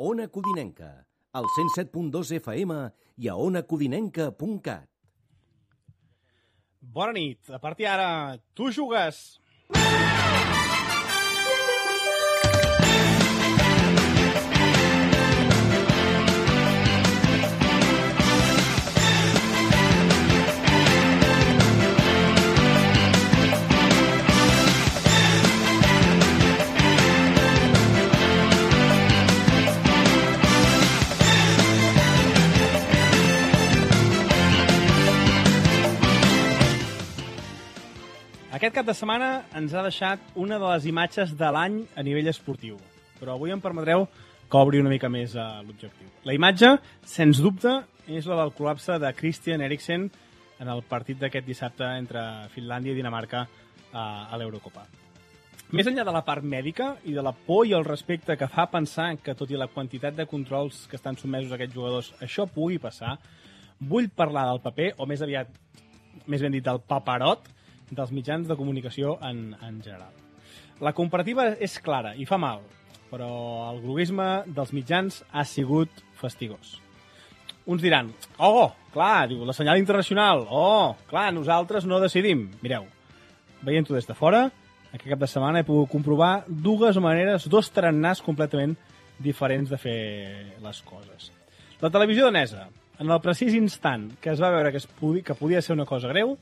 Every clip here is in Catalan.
Ona Codinenca, al 107.2 FM i a onacodinenca.cat. Bona nit. A partir d'ara, tu jugues. Aquest cap de setmana ens ha deixat una de les imatges de l'any a nivell esportiu, però avui em permetreu que obri una mica més l'objectiu. La imatge, sens dubte, és la del col·lapse de Christian Eriksen en el partit d'aquest dissabte entre Finlàndia i Dinamarca a l'Eurocopa. Més enllà de la part mèdica i de la por i el respecte que fa pensar que, tot i la quantitat de controls que estan sotmesos aquests jugadors, això pugui passar, vull parlar del paper, o més ben dit del paperot, dels mitjans de comunicació en general. La comparativa és clara i fa mal, però el groguisme dels mitjans ha sigut fastigós. Uns diran, clar, diu, la senyal internacional, clar, nosaltres no decidim. Mireu, veient-ho des de fora, aquest cap de setmana he pogut comprovar dos tarannàs completament diferents de fer les coses. La televisió danesa, en el precís instant que es va veure que podia ser una cosa greu,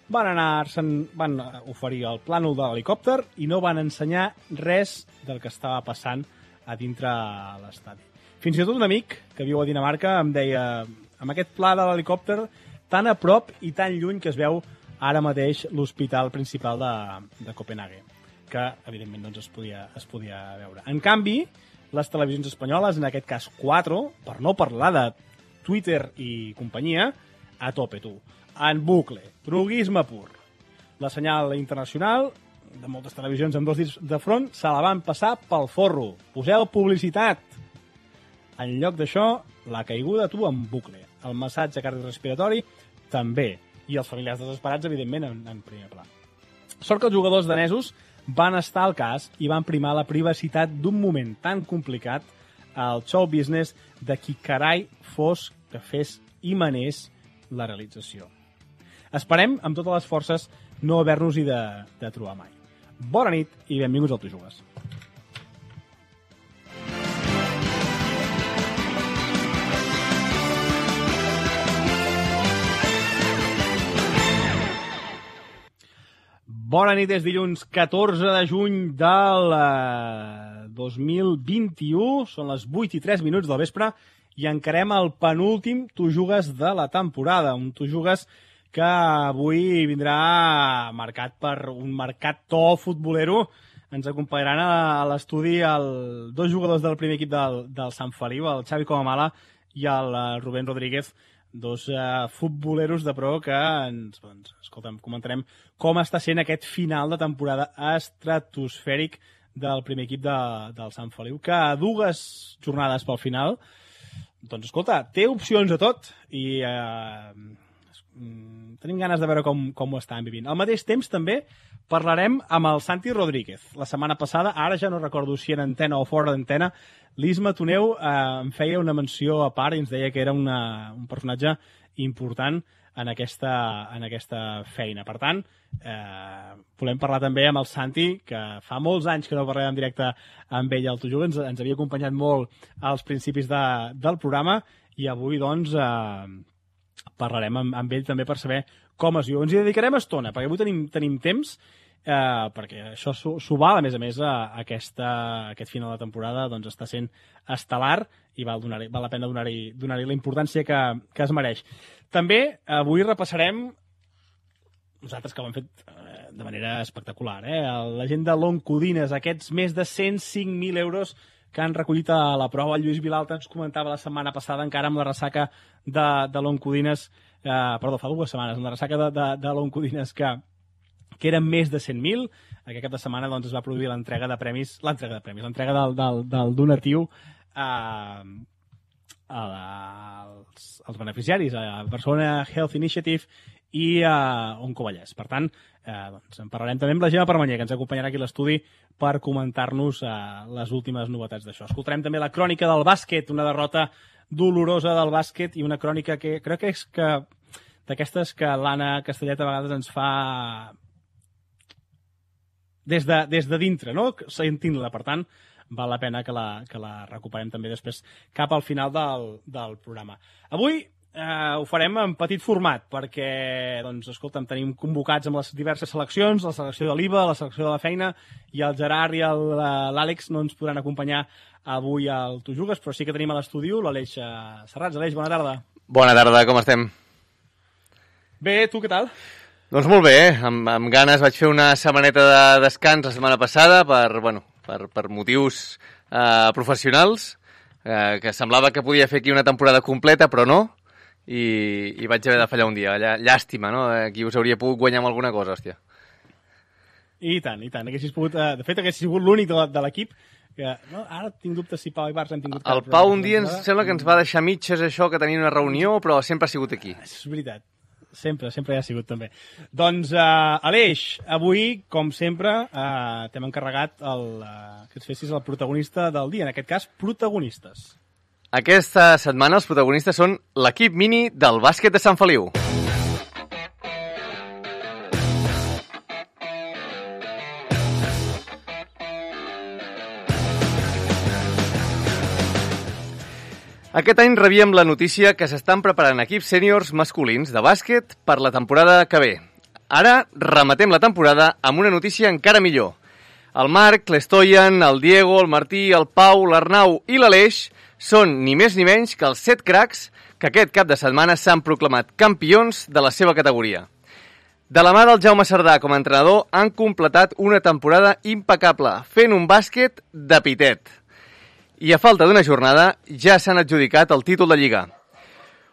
van oferir el plànol de l'helicòpter i no van ensenyar res del que estava passant a dintre l'estadi. Fins i tot un amic que viu a Dinamarca em deia, amb aquest pla de l'helicòpter tan a prop i tan lluny que es veu ara mateix l'hospital principal de Copenhague, que evidentment doncs, es podia veure. En canvi, les televisions espanyoles, en aquest cas 4, per no parlar de Twitter i companyia, a tope, tu. En bucle, droguisme pur. La senyal internacional de moltes televisions amb dos dits de front se la van passar pel forro. Poseu publicitat. En lloc d'això, la caiguda tu en bucle. El massatge cardiorrespiratori també. I els familiars desesperats, evidentment, en primer pla. Sort que els jugadors danesos van estar al cas i van primar la privacitat d'un moment tan complicat al show business de qui carai fos que fes i manés la realització. Esperem, amb totes les forces, no haver-nos-hi de trobar mai. Bona nit i benvinguts al Tu Jugues. Bona nit, és dilluns 14 de juny del 2021. Són les 8:03 del vespre i encarem el penúltim Tu Jugues de la temporada. Un Tu Jugues que avui vindrà marcat per un marcat to futbolero. Ens acompanyaran a l'estudi dos jugadors del primer equip del Sant Feliu, el Xavi Comamala i el Rubén Rodríguez, dos futboleros de pro que comentarem com està sent aquest final de temporada estratosfèric del primer equip del Sant Feliu, que a 2 jornades pel final, doncs escolta, té opcions a tot i tenim ganes de veure com ho estan vivint. Al mateix temps també parlarem amb el Santi Rodríguez. La setmana passada, ara ja no recordo si en antena o fora d'antena, l'Isma Toneu em feia una menció a part i ens deia que era un personatge important en aquesta feina. Per tant, volem parlar també amb el Santi, que fa molts anys que no parlem en directe amb ell al Tu Jugues, ens havia acompanyat molt als principis del programa i avui, doncs, parlarem amb ell també per saber com es viu. Ens hi dedicarem estona, perquè avui tenim temps, perquè això s'ho val, a més, aquest final de temporada doncs, està sent estel·lar i val la pena donar-hi la importància que es mereix. També avui repassarem, nosaltres que ho hem fet de manera espectacular, la gent de l'Oncodines, aquests més de 105.000 euros que han recollit a la prova. El Lluís Vilalta ens comentava la setmana passada, encara amb la ressaca de l'Oncodines, fa 2 setmanes, amb la ressaca de l'Oncodines, que eren més de 100.000. Aquest cap de setmana doncs, es va produir l'entrega del donatiu als beneficiaris, a Barcelona Health Initiative i Onco Vallès. Per tant, doncs en parlarem també amb la Gemma Permanyer, que ens acompanyarà aquí a l'estudi per comentar-nos les últimes novetats d'això. Escoltarem també la crònica del bàsquet, una derrota dolorosa del bàsquet i una crònica que crec que és d'aquestes que l'Anna Castellet a vegades ens fa des de dintre, no? Sentint-la. Per tant, val la pena que la recuperem també després cap al final del programa. Avui ho farem en petit format perquè, doncs, escolta'm, tenim convocats amb les diverses seleccions, la selecció de l'IVA, la selecció de la feina, i el Gerard i l'Àlex no ens podran acompanyar avui al Tu Jugues, però sí que tenim a l'estudi l'Aleix Serrats. Aleix, bona tarda. Bona tarda, com estem? Bé, tu què tal? Doncs molt bé, amb ganes. Vaig fer una setmaneta de descans la setmana passada per motius professionals, que semblava que podia fer aquí una temporada completa, però no, i vaig haver de fallar un dia. Llàstima, no? Aquí us hauria pogut guanyar amb alguna cosa, hòstia. I tant. Haguessis pogut, de fet, haguessis sigut l'únic de l'equip que... No, ara tinc dubtes si Pau i Bars hem tingut... El Pau un dia ens sembla que ens va deixar mitges això, que tenia una reunió, però sempre ha sigut aquí. És veritat. Sempre hi ha sigut, també. Doncs, Aleix, avui, com sempre, t'hem encarregat que ens fessis el protagonista del dia. En aquest cas, protagonistes. Aquesta setmana els protagonistes són l'equip mini del bàsquet de Sant Feliu. Aquest any rebíem la notícia que s'estan preparant equips sèniors masculins de bàsquet per la temporada que ve. Ara rematem la temporada amb una notícia encara millor. El Marc, l'Estoian, el Diego, el Martí, el Pau, l'Arnau i l'Aleix són ni més ni menys que els 7 cracs que aquest cap de setmana s'han proclamat campions de la seva categoria. De la mà del Jaume Cerdà com a entrenador han completat una temporada impecable, fent un bàsquet de pitet. I a falta d'una jornada ja s'han adjudicat el títol de Lliga.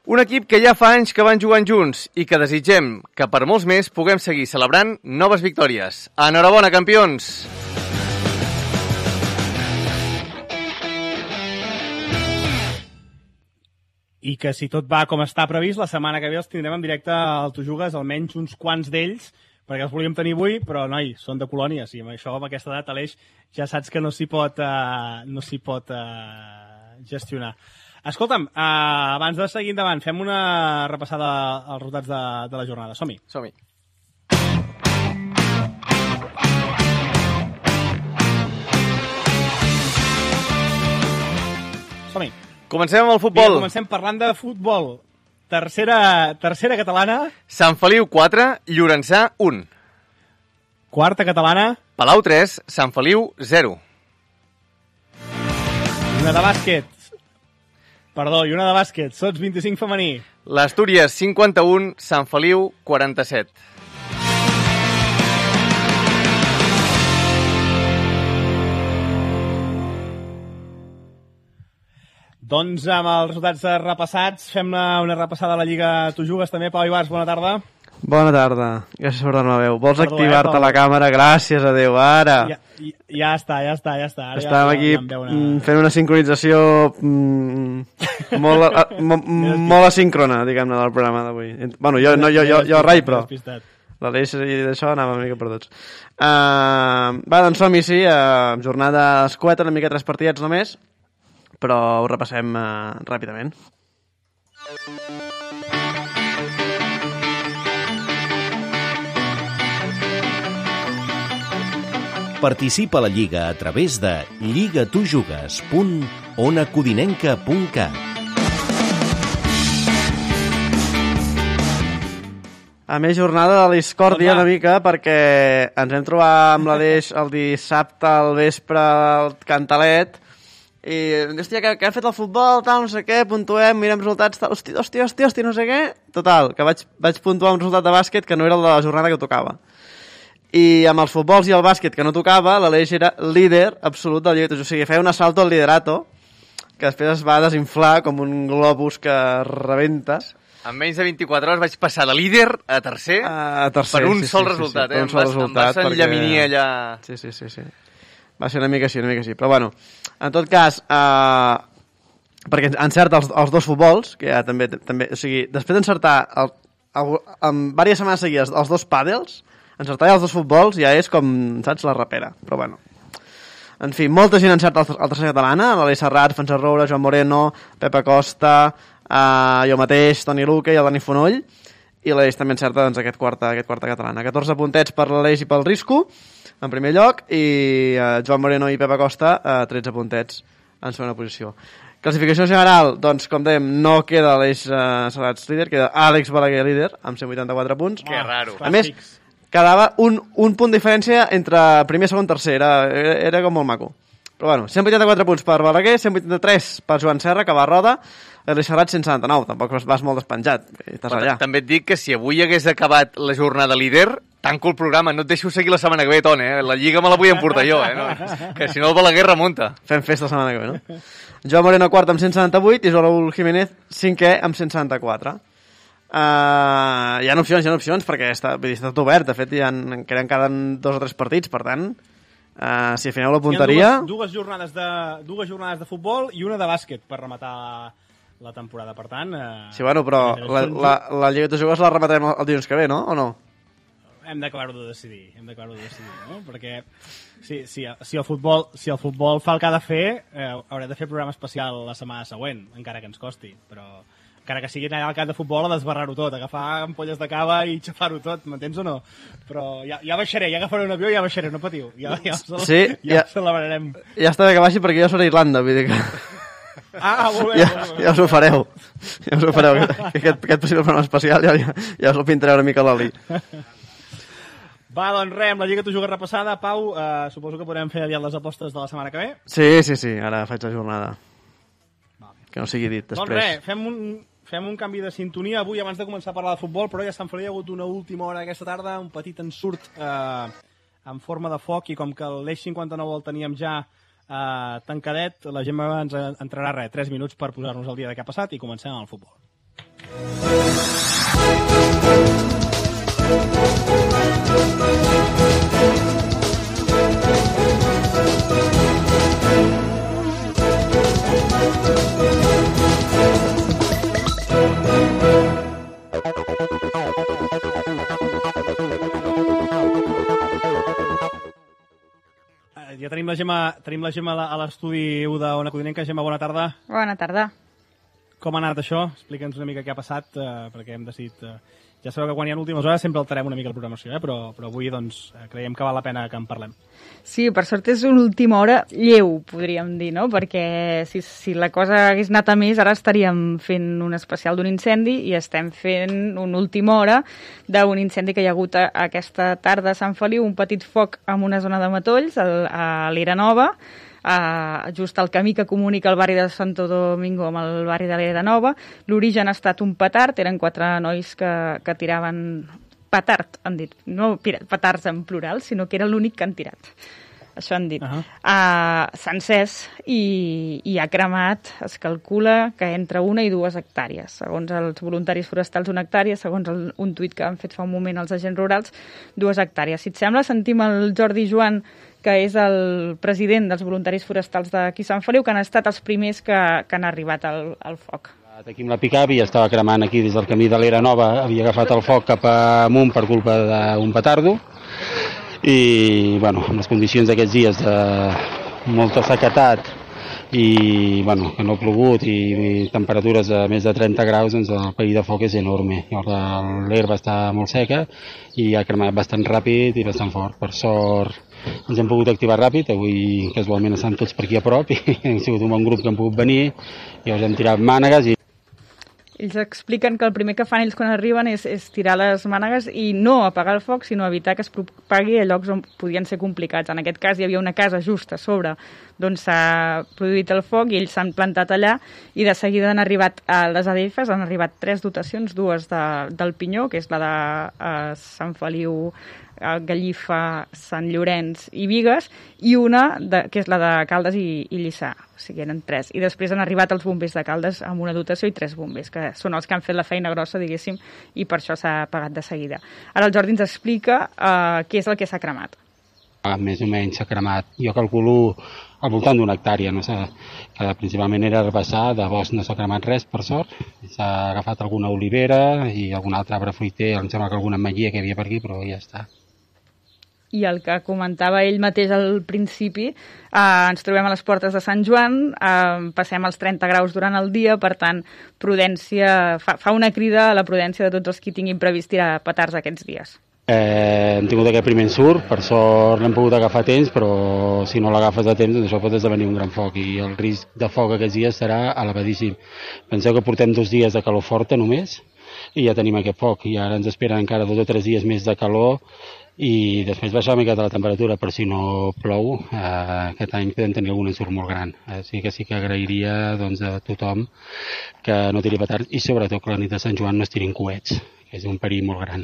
Un equip que ja fa anys que van jugant junts i que desitgem que per molts més puguem seguir celebrant noves victòries. Enhorabona, campions! I que si tot va com està previst, la setmana que ve els tindrem en directe al Tu Jugues, almenys uns quants d'ells, perquè els volíem tenir avui, però, noi, són de colònies, i amb això, amb aquesta edat, Aleix, ja saps que no s'hi pot gestionar. Escolta'm, abans de seguir endavant, fem una repassada als resultats de la jornada. Som-hi. Som-hi. Som-hi. Comencem amb el futbol. Vinga, comencem parlant de futbol. Tercera catalana. Sant Feliu 4, Llorençà 1. Quarta catalana. Palau 3, Sant Feliu 0. I una de bàsquet. Sots 25 femení. L'Astúries 51, Sant Feliu 47. Doncs amb els resultats repassats, fem una repassada a la Lliga Tu Jugues també. Pau Ibars, bona tarda. Bona tarda. Gràcies per donar-me la veu. Vols activar-te la càmera? Gràcies a Déu, ara. Ja està. Ara estàvem aquí fent una sincronització molt asíncrona, diguem-ne, del programa d'avui. Bueno, jo rai, però l'Aleix i d'això anava una mica perduts. Doncs som-hi, sí, jornada escueta, una mica 3 partidets només, però ho repassem ràpidament. Participa a la Lliga a través de lligatujugues.onacodinenca.cat. A més, jornada de discòrdia una mica, perquè ens hem trobat amb l'Aleix el dissabte al vespre al Cantalet i, hòstia, que ha fet el futbol, tal, no sé què, puntuem, mirem resultats, tal, hòstia, no sé què. Total, que vaig puntuar un resultat de bàsquet que no era el de la jornada que tocava. I amb els futbols i el bàsquet que no tocava, l'Aleix era líder absolut del Lliga. O sigui, feia un assalto al liderato, que després es va desinflar com un globus que rebenta. En menys de 24 hores vaig passar de líder a tercer, per un sol resultat. Per un sol resultat. Em vas enllaminir allà... Sí. Va ser una mica així. Però bueno, en tot cas, perquè encerta els dos futbols, que ja també... O sigui, després d'encertar en diverses setmanes seguides els 2 pàdels, encertar els 2 futbols ja és com, saps, la rapera. Però bueno. En fi, molta gent encerta el tercer catalana, l'Aleix Serrat, Francesc Roure, Joan Moreno, Pepa Costa, jo mateix, Toni Luque i el Dani Fonoll, i l'Aleix també encerta doncs, aquest quarta catalana. 14 puntets per l'Aleix i pel Risco, en primer lloc, i Joan Moreno i Pepa Costa, 13 puntets en segona posició. Classificació general, doncs, com dèiem, no queda Aleix Serrats líder, queda Àlex Balaguer líder, amb 184 punts. Que raro. A més, quedava un punt de diferència entre primer, segon, tercer, era com molt maco. Però bueno, 184 punts per Balaguer, 183 per Joan Serra, que va a roda, Aleix Serrat 179, tampoc vas molt despenjat, estàs allà. També et dic que si avui hagués acabat la jornada líder, tanco el programa, no et deixo seguir la setmana que ve, Toni, La Lliga me la vull emportar jo, No? Que si no el Balaguer remunta. Fem festa la setmana que ve, no? Joan Moreno quart amb 178 i Joan Raúl Jiménez cinquè amb 174. Hi ha opcions, perquè està tot obert, de fet encara queden 2 o 3 partits, per tant, si afineu la punteria... Dues jornades de futbol i una de bàsquet per rematar la temporada, per tant... Sí, bueno, però la Lliga de Joves la rematarem el dilluns que ve, no? O no? Hem d'acabar-ho de decidir, no? Perquè si el futbol fa el que ha de fer, haurem de fer programa especial la setmana següent, encara que ens costi, però encara que sigui allà al camp de futbol a desbarrar-ho tot, agafar ampolles de cava i xafar-ho tot, m'entens o no? Però ja baixaré, ja agafaré un avió i ja baixaré, no patiu, ja celebrarem. Ja està bé que baixi perquè jo seré a Irlanda, vull dir que... Molt bé. Ja us ho fareu. Aquest possible programa especial ja us ho pintaré una mica l'oli. Va, doncs res, amb la Lliga t'ho jugues repassada. Pau, suposo que podrem fer aviat les apostes de la setmana que ve. Sí, ara faig la jornada. Que no sigui dit després. Doncs res, fem un canvi de sintonia avui abans de començar a parlar de futbol, però ja a Sant Feliu hi ha hagut una última hora aquesta tarda, un petit ensurt en forma de foc, i com que l'Eix 59 el teníem ja tancadet, la Gemma ens entrarà 3 minuts per posar-nos al dia de què ha passat i comencem amb el futbol. Ja tenim la Gemma a l'estudi 1 d'Ona Codinenca. Gemma, bona tarda. Bona tarda. Com ha anat això? Explica'ns una mica què ha passat, perquè hem decidit... Ja sabeu que quan hi ha últimes hores sempre alterem una mica la programació, però avui doncs, creiem que val la pena que en parlem. Sí, per sort és una última hora lleu, podríem dir, no? Perquè si la cosa hagués anat a més, ara estaríem fent un especial d'un incendi i estem fent una última hora d'un incendi que hi ha hagut aquesta tarda a Sant Feliu, un petit foc en una zona de matolls, a l'Era Nova, just al camí que comunica el barri de Santo Domingo amb el barri de l'Era Nova. L'origen ha estat un petard, eren 4 nois que tiraven petard, han dit, no petards en plural, sinó que era l'únic que han tirat. Això han dit. S'ha encès i ha cremat, es calcula que entre 1 i 2 hectàrees. Segons els voluntaris forestals, 1 hectàrea, segons un tuit que han fet fa un moment els agents rurals, 2 hectàrees. Si et sembla, sentim el Jordi Joan, que és el president dels voluntaris forestals d'aquí Sant Feliu, que han estat els primers que han arribat al foc. Aquí amb la pick-up i estava cremant aquí des del camí de l'Era Nova, havia agafat el foc cap amunt per culpa d'un petardo, i bueno, amb les condicions d'aquests dies de molta sequetat i bueno, que no ha plogut i temperatures de més de 30 graus, doncs el perill de foc és enorme. L'herba està molt seca i ha cremat bastant ràpid i bastant fort. Per sort ens hem pogut activar ràpid, avui casualment estan tots per aquí a prop i hem sigut un bon grup que han pogut venir i us hem tirat mànegues i ells expliquen que el primer que fan ells quan arriben és tirar les mànegues i no apagar el foc, sinó evitar que es propagui a llocs on podien ser complicats. En aquest cas hi havia una casa just a sobre d'on s'ha produït el foc i ells s'han plantat allà i de seguida han arribat a les ADFs, han arribat 3 dotacions, 2 del Pinyó, que és la de Sant Feliu, Gallifa, Sant Llorenç i Bigues, i una que és la de Caldes i Lliçà, o sigui, eren 3. I després han arribat els bombers de Caldes amb una dotació i 3 bombers, que són els que han fet la feina grossa, diguéssim, i per això s'ha apagat de seguida. Ara el Jordi ens explica què és el que s'ha cremat. Més o menys s'ha cremat, jo calculo al voltant d'una hectàrea, no sé, que principalment era herbassar, de bosc no s'ha cremat res, per sort, s'ha agafat alguna olivera i algun altre arbre fruiter, em sembla que alguna ametller que hi havia per aquí, però ja està. I el que comentava ell mateix al principi, ens trobem a les portes de Sant Joan, passem els 30 graus durant el dia, per tant, prudència, fa una crida a la prudència de tots els que tinguin previst tirar petards aquests dies. Hem tingut aquest primer ensurt, per sort l'hem pogut agafar a temps, però si no l'agafes a temps, doncs això pot esdevenir un gran foc i el risc de foc aquests dies serà elevadíssim. Penseu que portem 2 dies de calor forta només i ja tenim aquest foc i ara ens esperen encara 2 o 3 dies més de calor i després baixar una miqueta la temperatura, per si no plou, aquest any podem tenir algun ensurt molt gran. Sí que agrairia doncs, a tothom que no tiri petards i sobretot que la nit de Sant Joan no es tirin coets, que és un perill molt gran.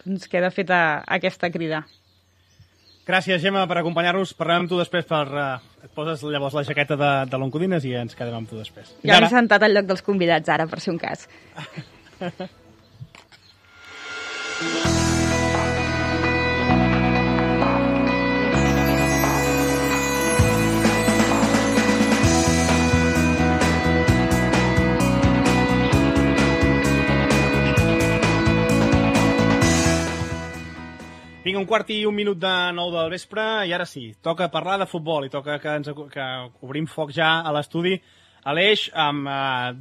Doncs queda feta aquesta crida. Gràcies, Gemma, per acompanyar-nos. Parlem amb tu després et poses llavors la jaqueta de l'Oncodines i ens quedem amb tu després. Ja m'he sentat al lloc dels convidats ara, per si un cas. Vinga, 1:15 de 9 del vespre i ara sí, toca parlar de futbol i toca que obrim foc ja a l'estudi Aleix, amb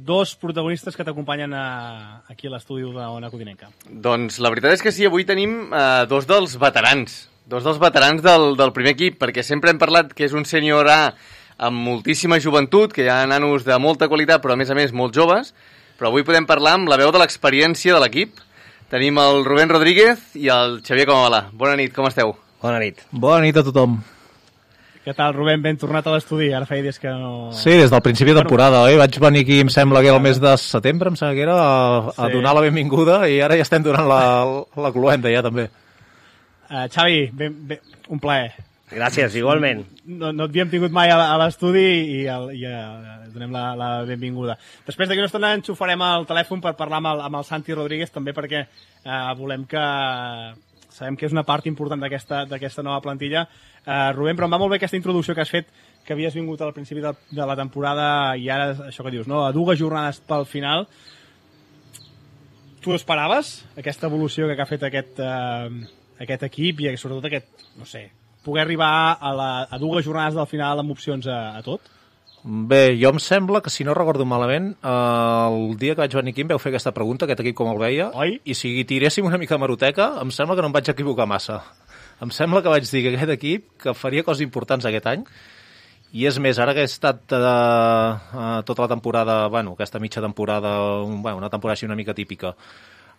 2 protagonistes que t'acompanyen aquí a l'estudi d'Ona Codinenca. Doncs la veritat és que sí, avui tenim 2 dels veterans, del primer equip, perquè sempre hem parlat que és un sènior A amb moltíssima joventut, que hi ha nanos de molta qualitat, però a més molt joves, però avui podem parlar amb la veu de l'experiència de l'equip. Tenim el Rubén Rodríguez i el Xavier Comabalà. Bona nit, com esteu? Bona nit. Bona nit a tothom. Què tal, Rubén? Ben tornat a l'estudi. Ara feia dies que no... Sí, des del principi de temporada, oi? Vaig venir aquí, em sembla que era el mes de setembre, em sembla que era, a donar la benvinguda i ara ja estem donant la cloenda, ja, també. Xavi, un plaer. Gràcies, igualment. No et havíem tingut mai a l'estudi i donem la benvinguda. Després d'aquí una estona enxufarem el telèfon per parlar amb el Santi Rodríguez, també perquè volem que... Sabem que és una part important d'aquesta nova plantilla. Rubén, però em va molt bé aquesta introducció que has fet, que havies vingut al principi de la temporada i ara això que dius, no? A 2 jornades pel final. Tu esperaves aquesta evolució que ha fet aquest equip i sobretot no sé, poder arribar a 2 jornades del final amb opcions a tot? Bé, jo em sembla que, si no recordo malament, el dia que vaig venir aquí em vau fer aquesta pregunta, aquest equip com el veia, oi? I si tiréssim una mica de meroteca, em sembla que no em vaig equivocar massa. Em sembla que vaig dir que aquest equip que faria coses importants aquest any, i és més, ara que he estat tota la temporada, aquesta mitja temporada, una temporada així una mica típica,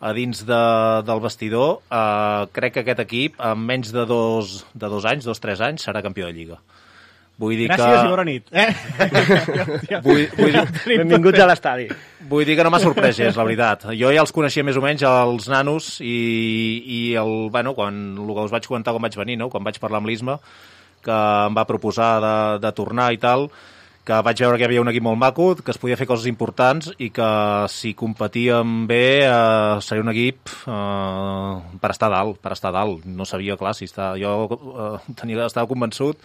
a dins del vestidor, crec que aquest equip, en menys de 2 anys, 3 anys, serà campió de Lliga. Vull dir Gràcies i bona nit. Benvinguts a l'estadi. Vull dir que no m'ha sorprès gens, la veritat. Jo ja els coneixia més o menys, els nanos, i quan el que us vaig comentar quan vaig venir, no? Quan vaig parlar amb l'Isma, que em va proposar de tornar i tal, que vaig veure que hi havia un equip molt maco, que es podia fer coses importants i que si competíem bé seria un equip per estar dalt. No sabia, clar, si jo estava convençut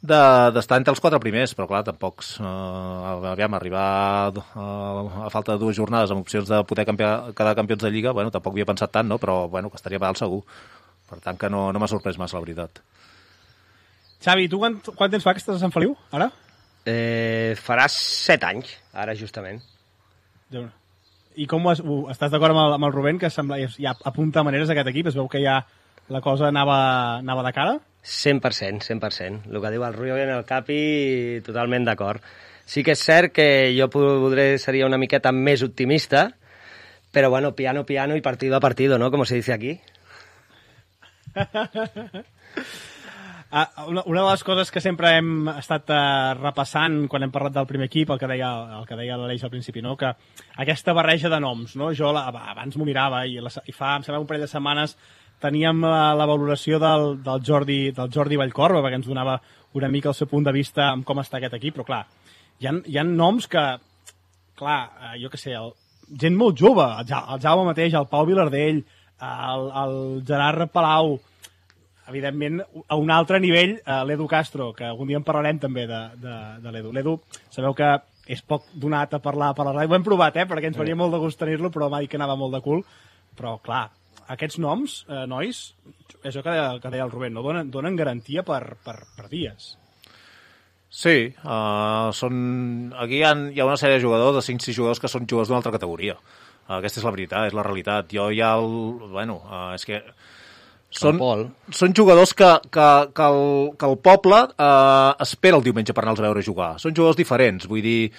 d'estar entre els 4 primers, però clar, tampoc arribar a falta de 2 jornades amb opcions de poder quedar campions de Lliga, tampoc havia pensat tant, no? Però que estaria dalt segur. Per tant, que no m'ha sorprès massa, la veritat. Xavi, tu quant temps fa que estàs a Sant Feliu, ara? Farà 7 anys, ara justament. I com estàs d'acord amb el Rubén, que sembla ja apunta maneres aquest equip? Es veu que ja la cosa anava de cara? 100%. El que diu el Rubén en el Capi, totalment d'acord. Sí que és cert que jo seria una miqueta més optimista, però piano y partido a partido, ¿no? Como se dice aquí. Una de les coses que sempre hem estat repassant quan hem parlat del primer equip, el que deia l'Aleix al principi, no? Que aquesta barreja de noms, no? Jo abans m'ho mirava i fa, em sembla, un parell de setmanes teníem la valoració del Jordi Vallcorba, perquè ens donava una mica el seu punt de vista amb com està aquest equip, però clar, hi ha noms que, clar, jo què sé, gent molt jove, el Jaume mateix, el Pau Vilardell, el Gerard Palau, evidentment, a un altre nivell, l'Edu Castro, que algun dia en parlarem també de l'Edu. L'Edu, sabeu que és poc donat a parlar per la ràdio. Ho hem provat, perquè ens faria molt de gust tenir-lo, però m'ha dit que anava molt de cul. Però, clar, aquests noms, nois, és el que deia el Rubén, no? Donen garantia per dies. Sí, aquí hi ha una sèrie de jugadors, de 5-6 jugadors, que són jugadors d'una altra categoria. Aquesta és la veritat, és la realitat. Jo ja és que són jugadors que el poble espera el diumenge per anar-los a veure jugar. Són jugadors diferents, vull dir,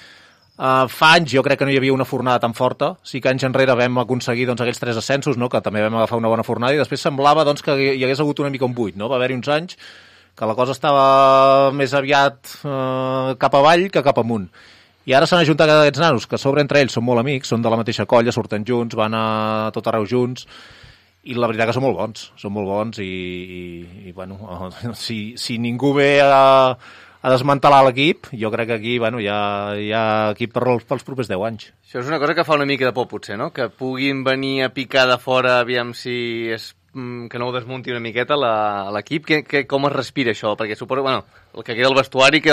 fa anys jo crec que no hi havia una fornada tan forta. Sí que anys enrere vam aconseguir aquells 3 ascensos, no? Que també vam agafar una bona fornada, i després semblava que hi hagués hagut una mica un buit. No? Va haver-hi uns anys que la cosa estava més aviat cap avall que cap amunt. I ara s'han ajuntat aquests nanos, que a sobre entre ells són molt amics, són de la mateixa colla, surten junts, van a tot arreu junts, i la veritat que són molt bons i si ningú ve a desmantelar l'equip, jo crec que aquí hi ha equip pels propers 10 anys. Això és una cosa que fa una mica de por, potser, no? Que puguin venir a picar de fora, aviam si que no ho desmunti una miqueta l'equip. Com es respira això? Perquè suposo, el que queda al vestuari,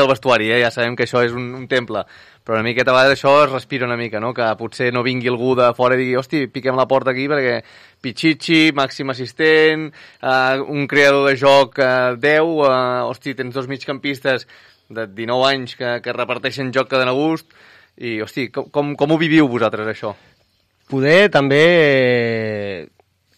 ja sabem que això és un temple, però una miqueta a vegades això es respira una mica, no? Que potser no vingui algú de fora i digui, hosti, piquem la porta aquí perquè Pichichi, màxim assistent, un creador de joc 10, hosti, tens 2 migcampistes de 19 anys que reparteixen joc que donen gust, i hosti, com ho viviu vosaltres això? Poder també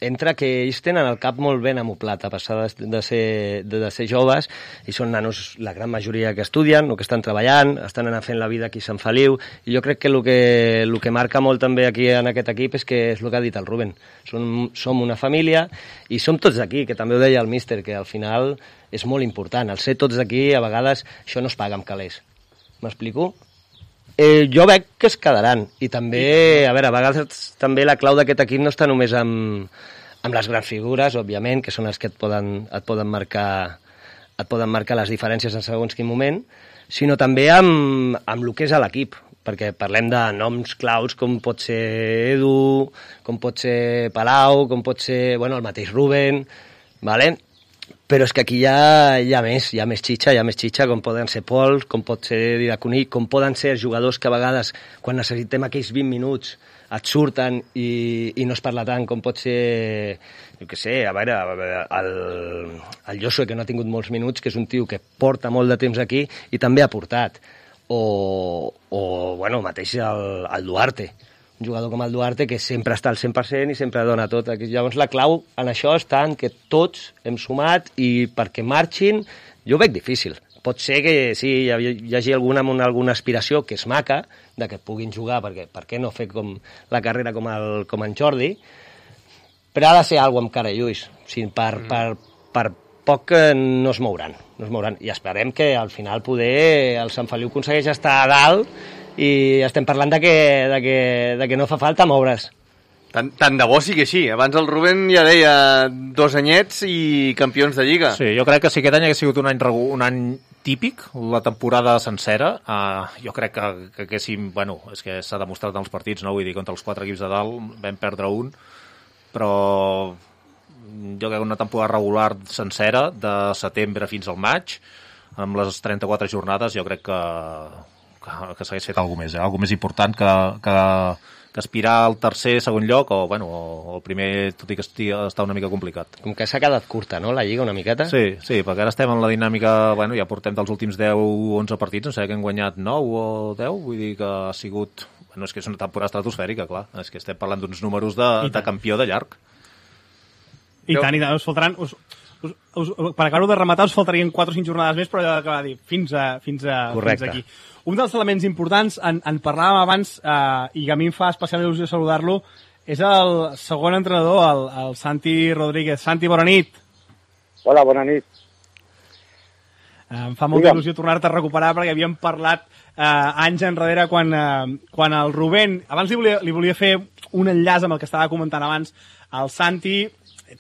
entra que ells tenen el cap molt ben amoplat a passar de ser joves, i són nanos, la gran majoria, que estudien o que estan treballant, estan anant fent la vida aquí a Sant Feliu, i jo crec que el que marca molt també aquí en aquest equip és que és el que ha dit el Rubén. Som una família i som tots d'aquí, que també ho deia el míster, que al final és molt important. El ser tots d'aquí, a vegades, això no es paga amb calés. M'explico? Jo veig que es quedaran, i també, a vegades també la clau d'aquest equip no està només amb les grans figures, òbviament, que són els que et poden marcar les diferències en segons quin moment, sinó també amb el que és a l'equip, perquè parlem de noms claus com pot ser Edu, com pot ser Palau, com pot ser el mateix Rubén, ¿vale? Però és que aquí hi ha més xitxa, com poden ser Pol, com pot ser Didacuní, com poden ser jugadors que a vegades, quan necessitem aquells 20 minuts, et surten i no es parla tant, com pot ser, jo què sé, el Josué, que no ha tingut molts minuts, que és un tio que porta molt de temps aquí i també ha portat. O mateix el Duarte, un jugador com el Duarte que sempre està al 100% i sempre dona tot. Llavors la clau en això està en que tots hem sumat, i perquè marxin jo ho veig difícil. Pot ser que sí, hi hagi alguna amb alguna aspiració que és maca, de que puguin jugar, perquè per què no fer com la carrera com en Jordi, però ha de ser alguna amb cara i ulls. O sigui, per poc no es mouran. I esperem que al final poder el Sant Feliu aconsegueix estar a dalt, i estem parlant de que no fa falta moure's. Tant de bo sigui així. Abans el Rubén ja deia 2 anyets i campions de Lliga. Sí, jo crec que si aquest any hagués sigut un any típic, la temporada sencera, jo crec que haguéssim... és que s'ha demostrat en els partits, no? Vull dir, contra els 4 equips de dalt vam perdre un, però jo crec que una temporada regular sencera, de setembre fins al maig, amb les 34 jornades, jo crec que s'hagués fet alguna més, alguna més important que aspirar al tercer, segon lloc, o el primer, tot i que està una mica complicat. Com que s'ha quedat curta, no?, la Lliga, una miqueta? Sí, perquè ara estem en la dinàmica, ja portem dels últims 10 o 11 partits, no sé, que hem guanyat 9 o 10, vull dir que ha sigut... és que és una temporada estratosfèrica, clar, és que estem parlant d'uns números de campió de llarg. I tant, us faltaran... per acabar-ho de rematar, us faltarien 4 o 5 jornades més, però ja acaba de dir, fins aquí. Un dels elements importants, en parlàvem abans, i que a mi em fa especial il·lusió saludar-lo, és el segon entrenador, el Santi Rodríguez. Santi, bona nit. Hola, bona nit. Em fa molta il·lusió tornar-te a recuperar, perquè havíem parlat anys enrere quan el Rubén... Abans li volia fer un enllaç amb el que estava comentant abans. El Santi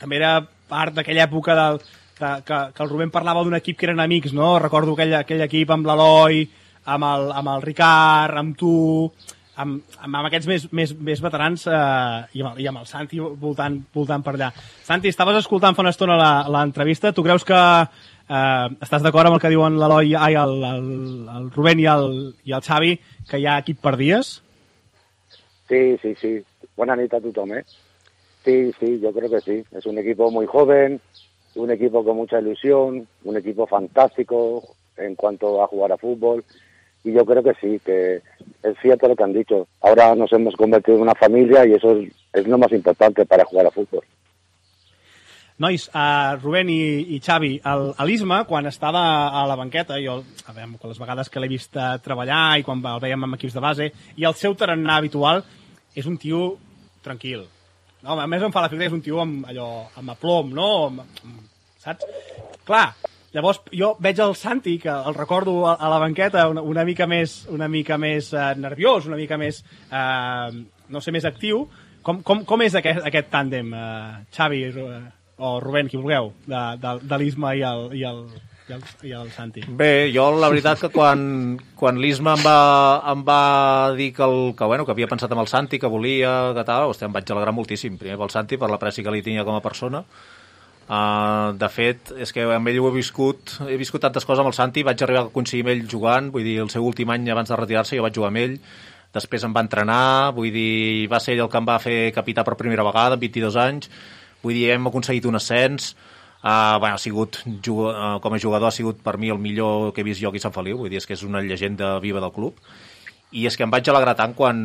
també era part d'aquella època que el Rubén parlava d'un equip que eren amics, no? Recordo aquell equip amb l'Eloi, amb el Ricard, amb tu... amb aquests més veterans i amb el Santi voltant per allà. Santi, estaves escoltant fa una estona l'entrevista. Tu creus que estàs d'acord amb el que diuen l'Eloi, el Rubén i el Xavi, que hi ha equip per dies? Sí. Buena nit a tothom, ¿eh? Sí, yo creo que sí. Es un equipo muy joven, un equipo con mucha ilusión, un equipo fantástico en cuanto a jugar a fútbol. Y yo creo que sí, que es cierto lo que han dicho. Ahora nos hemos convertido en una familia y eso es lo más importante para jugar a fútbol. Nois, Rubén i Xavi, l'Isma, quan estava a la banqueta, jo, a veure, les vegades que l'he vist treballar i quan el veiem amb equips de base, i el seu tarannà habitual és un tio tranquil. No, a més em fa l'efecte que és un tio amb aplom, no? Saps? Clar, llavors jo veig el Santi, que el recordo a la banqueta una mica més nerviós, una mica més, no sé, més actiu. Com és aquest tàndem, Xavi o Rubén, qui vulgueu, de l'Isma i el Santi? Bé, jo la veritat que quan l'Isma em va dir que havia pensat en el Santi, que volia, que tal, em vaig alegrar moltíssim. Primer pel Santi, per l'apreci que li tenia com a persona. De fet, és que amb ell he viscut tantes coses amb el Santi, vaig arribar a coincidir amb ell jugant, vull dir, el seu últim any abans de retirar-se jo vaig jugar amb ell, després em va entrenar, vull dir, va ser ell el que em va fer capità per primera vegada, amb 22 anys, vull dir, hem aconseguit un ascens, ha sigut, com a jugador ha sigut per mi el millor que he vist jo aquí a Sant Feliu, vull dir, és que és una llegenda viva del club. I és que em vaig alegrar tant quan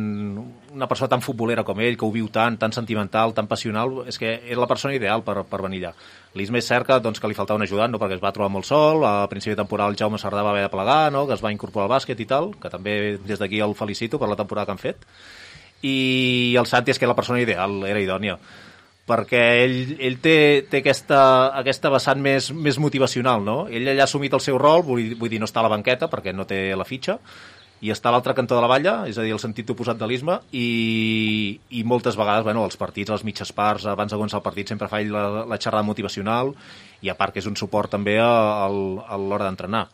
una persona tan futbolera com ell, que ho viu tan sentimental, tan passional, és que és la persona ideal per venir allà. L'Isma és cert que li faltava un ajudant, no? Perquè es va trobar molt sol, a principi de temporada el Jaume Sardà va haver de plegar, no? Que es va incorporar al bàsquet i tal, que també des d'aquí el felicito per la temporada que han fet. I el Santi és que la persona ideal, era idònia, perquè ell té aquesta vessant més motivacional, no? Ell allà ha assumit el seu rol, vull dir, no està a la banqueta perquè no té la fitxa, i està a l'altre cantó de la valla, és a dir, el sentit oposat de l'Isma, i moltes vegades, els partits, les mitges parts, abans de començar el partit, sempre fa ell la xerrada motivacional, i a part que és un suport també a l'hora d'entrenar.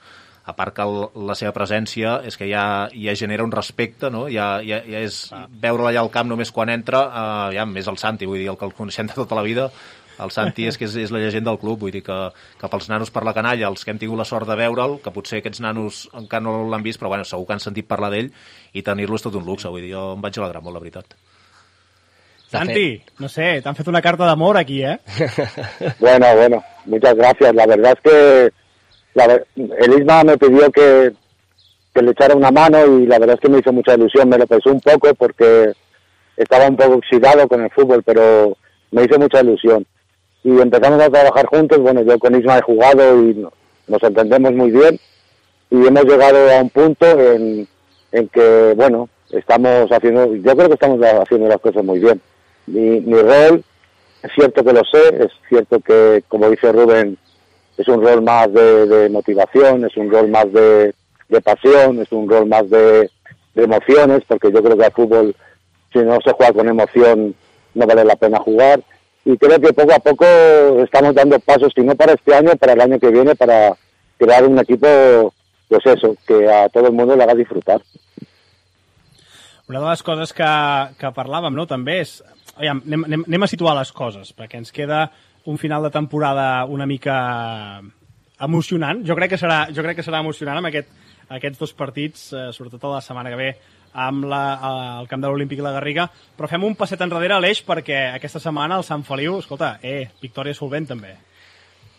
A part que la seva presència és que ja genera un respecte, no? Ja és veure-la allà al camp només quan entra, ja més el Santi, vull dir, el que el coneixem de tota la vida. El Santi és que és la llegenda del club, vull dir que pels nanos per la canalla, els que hem tingut la sort de veure'l, que potser aquests nanos encara no l'han vist, però segur que han sentit parlar d'ell, i tenir-lo és tot un luxe, vull dir, jo em vaig alegrar molt, la veritat. Santi, no sé, t'han fet una carta d'amor aquí, ¿eh? Bueno, muchas gracias. La verdad es que el Isma me pidió que le echara una mano y la verdad es que me hizo mucha ilusión, me lo pensé un poco porque estaba un poco oxidado con el fútbol, pero me hizo mucha ilusión. Y empezamos a trabajar juntos, yo con Isma he jugado y nos entendemos muy bien y hemos llegado a un punto en que, estamos haciendo, yo creo que estamos haciendo las cosas muy bien. Mi rol, es cierto que lo sé, es cierto que, como dice Rubén, es un rol más de motivación, es un rol más de pasión, es un rol más de emociones, porque yo creo que al fútbol, si no se juega con emoción, no vale la pena jugar. Y creo que poco a poco estamos dando pasos, si no para este año, para el año que viene, para crear un equipo, que a todo el mundo le haga disfrutar. Una de les coses que parlàvem, no?, també és... Anem a situar les coses, perquè ens queda un final de temporada una mica emocionant. Jo crec que serà emocionant amb aquests dos partits, sobretot a la setmana que ve, amb el camp de l'Olímpic i la Garriga, però fem un passet enrere a l'Eix perquè aquesta setmana el Sant Feliu, escolta, victòria solvent també.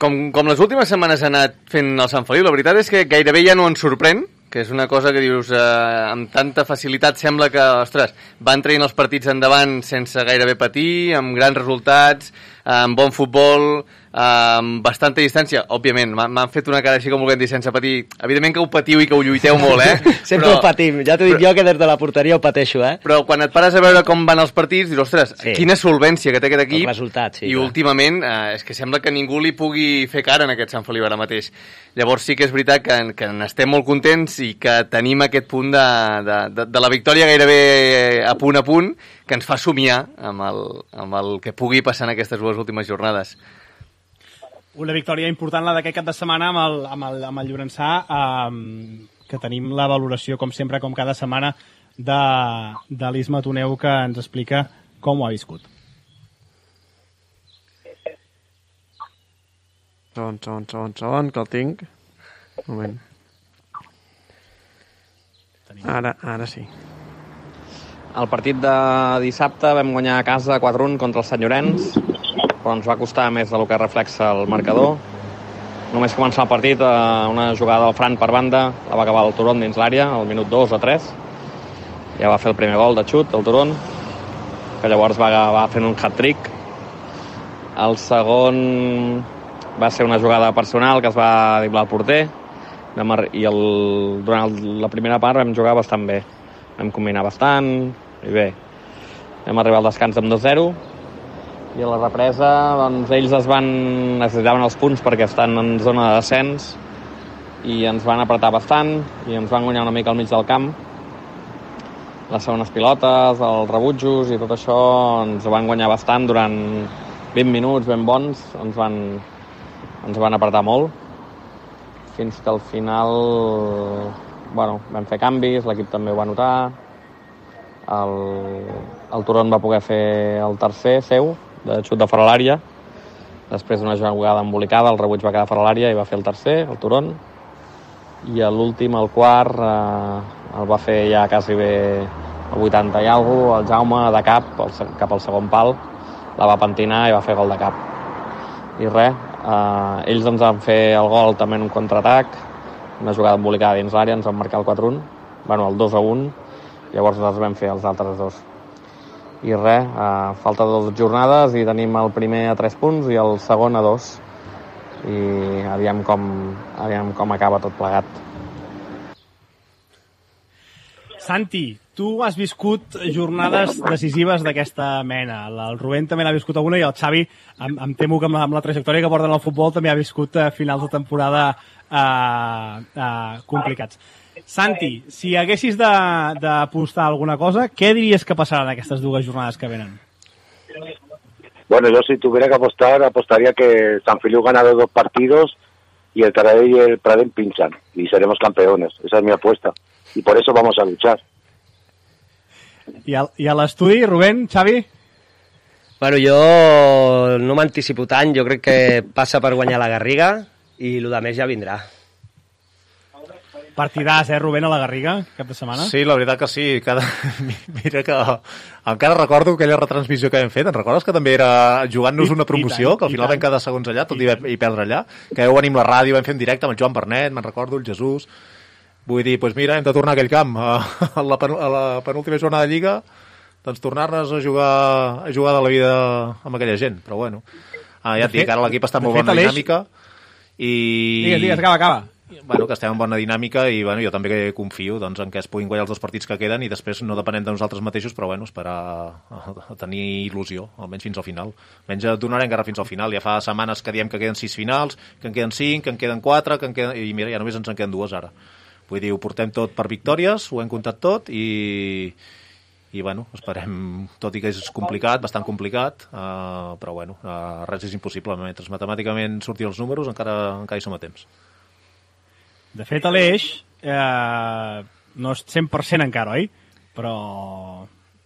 Com les últimes setmanes ha anat fent el Sant Feliu, la veritat és que gairebé ja no ens sorprèn, que és una cosa que dius, amb tanta facilitat sembla que, ostres, van traient els partits endavant sense gairebé patir, amb grans resultats, amb bon futbol, amb bastanta distància. Òbviament, m'han fet una cara així com volent dir sense patir. Evidentment que ho patiu i que ho lluiteu molt, Sempre ho patim. Ja t'ho dic jo que des de la porteria ho pateixo, Però quan et pares a veure com van els partits, dius, ostres, quina solvència que té aquest equip. El resultat, sí. I últimament és que sembla que ningú li pugui fer cara en aquest Sant Feliu ara mateix. Llavors sí que és veritat que n'estem molt contents i que tenim aquest punt de la victòria gairebé a punt, que ens fa somiar amb el que pugui passar en aquestes dues últimes jornades. Una victòria important, la d'aquest cap de setmana amb el Llorençà, que tenim la valoració, com sempre, com cada setmana, de l'Isma Toneu, que ens explica com ho ha viscut. Segon, que el tinc. Un moment. Ara sí. El partit de dissabte vam guanyar a casa 4-1 contra el Sant Llorenç, però ens va costar més del que reflexa el marcador. Només començar el partit, una jugada del Fran per banda, la va acabar el Turon dins l'àrea, al minut 2 o 3. Ja va fer el primer gol de xut, el Turon, que llavors va fent un hat-trick. El segon va ser una jugada personal que es va driblar al porter, i durant la primera part vam jugar bastant bé. Vam combinar bastant, i bé. Vam arribar al descans amb 2-0, i a la represa doncs, ells necessitaven els punts perquè estan en zona de descens, i ens van apretar bastant, i ens van guanyar una mica al mig del camp. Les segones pilotes, els rebutjos i tot això ens van guanyar bastant durant 20 minuts ben bons, ens van apretar molt, fins que al final vam fer canvis, l'equip també ho va notar, el Turon va poder fer el tercer seu, de xut de fora l'àrea, després d'una jugada embolicada, el rebuig va quedar fora l'àrea i va fer el tercer, el Turon, i l'últim, el quart, el va fer ja quasi bé el 80 i alguna cosa, el Jaume de cap al segon pal, la va pentinar i va fer gol de cap. I res, ells ens van fer el gol també en un contraatac, una jugada embolicada dins l'àrea, ens van marcar el 4-1, el 2-1, llavors nosaltres vam fer els altres dos. I res, falta 2 jornades i tenim el primer a 3 punts i el segon a 2. I aviam com acaba tot plegat. Santi, tu has viscut jornades decisives d'aquesta mena. El Rubén també n'ha viscut alguna i el Xavi, em temo que amb la trajectòria que porten al futbol també ha viscut finals de temporada complicats. Santi, si haguessis d'apostar alguna cosa, què diries que passarà en aquestes 2 jornades que venen? Bueno, yo si tuviera que apostar, apostaría que San Feliu gana los 2 partidos y el Taradell y el Pradell pinchan y seremos campeones. Esa es mi apuesta. Y por eso vamos a luchar. I a l'estudi, Rubén, Xavi? Bueno, jo no m'anticipo tant, jo crec que passa per guanyar la Garriga i el més ja vindrà. Partidàs, Rubén, a la Garriga, cap de setmana? Sí, la veritat que sí. Mira que encara recordo aquella retransmissió que hem fet. Te'n recordes que també era jugant-nos una promoció, que al final vam quedar segons allà, tot i perdre allà? Que vau venir amb la ràdio, vam fer en directe amb el Joan Bernet, me'n recordo, el Jesús. Vull dir, doncs mira, hem de tornar a aquell camp. A la penúltima jornada de Lliga, doncs tornar-nos a jugar de la vida amb aquella gent. Però bueno, ja et dic, ara l'equip està en molt bona dinàmica. Digues, acaba. Bueno, que estem en bona dinàmica i bueno, jo també confio doncs, en que es puguin guanyar els 2 partits que queden i després no depenem de nosaltres mateixos, però bueno, esperar a tenir il·lusió, almenys fins al final. Almenys donarem encara fins al final. Ja fa setmanes que diem que queden 6 finals, que en queden 5, que en queden 4, i mira, ja només ens en queden 2 ara. Vull dir, ho portem tot per victòries, ho hem comptat tot i bueno, esperem, tot i que és complicat, bastant complicat, però bueno, res és impossible. Mentre matemàticament surtin els números encara hi som a temps. De fet, Aleix, no és 100% encara, oi? Però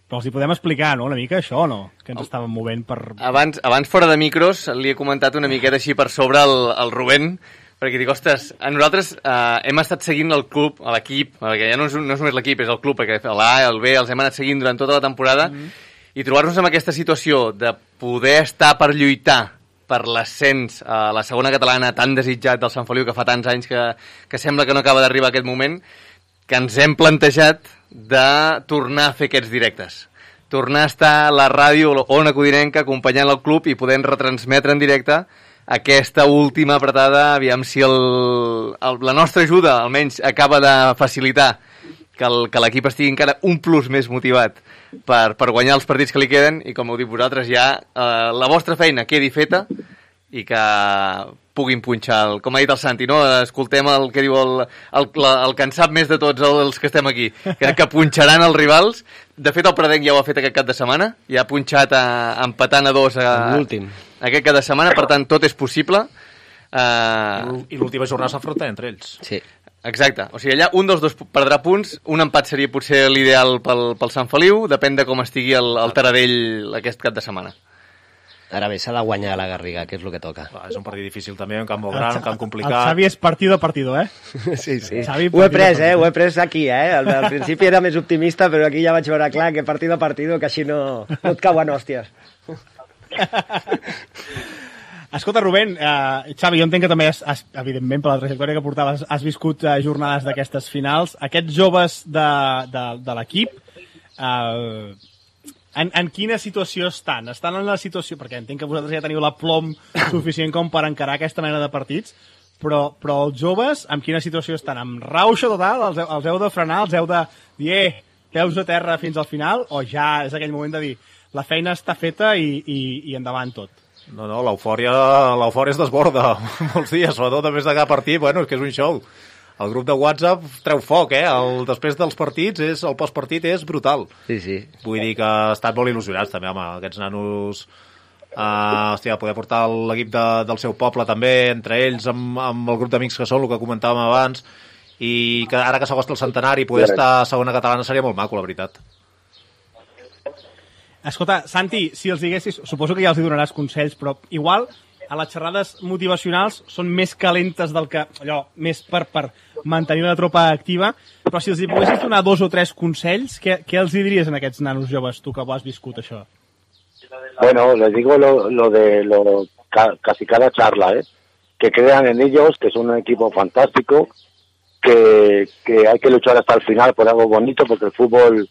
els hi podem explicar, no?, una mica això, no? Que ens estàvem movent per... Abans fora de micros, li he comentat una miqueta així per sobre el Rubén, perquè dic, ostres, nosaltres hem estat seguint el club, l'equip, perquè ja no és només l'equip, és el club, perquè l'A, el B, els hem anat seguint durant tota la temporada, i trobar-nos en aquesta situació de poder estar per lluitar per l'ascens a la segona catalana tan desitjat del Sant Feliu, que fa tants anys que sembla que no acaba d'arribar aquest moment, que ens hem plantejat de tornar a fer aquests directes. Tornar a estar a la ràdio Ona Codinenca acompanyant el club i podent retransmetre en directe aquesta última apretada, aviam si la nostra ajuda almenys acaba de facilitar que l'equip estigui encara un plus més motivat per guanyar els partits que li queden i, com heu dit vosaltres, ja la vostra feina quedi feta i que puguin punxar, com ha dit el Santi, no? Escoltem el que diu el que en sap més de tots els que estem aquí, que punxaran els rivals. De fet, el Pradenc ja ho ha fet aquest cap de setmana, ja ha punxat empatant a 2 l'últim aquest cap de setmana, per tant, tot és possible. I l'última jornada s'afronta entre ells. Sí. Exacte, o sigui, allà un dels dos perdrà punts, un empat seria potser l'ideal pel Sant Feliu, depèn de com estigui el Taradell aquest cap de setmana. Ara bé, s'ha de guanyar la Garriga, que és el que toca. És un partit difícil també, un camp molt gran, un camp complicat. El Xavi és partido a partido, Sí. Xavi, ho he pres aquí, Al principi era més optimista, però aquí ja vaig veure clar que partido a partido, que així no et cauen hòsties. Escolta, Rubén, Xavi, jo entenc que també, evidentment, per la trajectòria que portaves, has viscut jornades d'aquestes finals. Aquests joves de l'equip, en quina situació estan? Estan en la situació... Perquè entenc que vosaltres ja teniu la plom suficient com per encarar aquesta mena de partits, però els joves, en quina situació estan? Amb rauxa total? Els heu de frenar? Els heu de dir, peus a terra fins al final? O ja és aquell moment de dir, la feina està feta i endavant tot? No, l'eufòria es desborda molts dies, sobretot després de cada partit, és que és un show. El grup de WhatsApp treu foc, després dels partits, el postpartit és brutal. Sí. Vull dir que ha estat molt il·lusionats també, home, aquests nanos, poder portar l'equip del seu poble també, entre ells, amb el grup d'amics que són, el que comentàvem abans, i que ara que s'acosta el centenari, poder estar a segona catalana seria molt maco, la veritat. Escolta, Santi, si els diguessis, suposo que ja els donaràs consells, però igual a les xerrades motivacionals són més calentes del que... allò, més per mantenir la tropa activa, però si els poguessis donar 2 o 3 consells, què els diries a aquests nanos joves, tu que ho has viscut, això? Bueno, les digo casi cada charla, que crean en ellos, que es un equipo fantástico, que hay que luchar hasta el final por algo bonito, porque el fútbol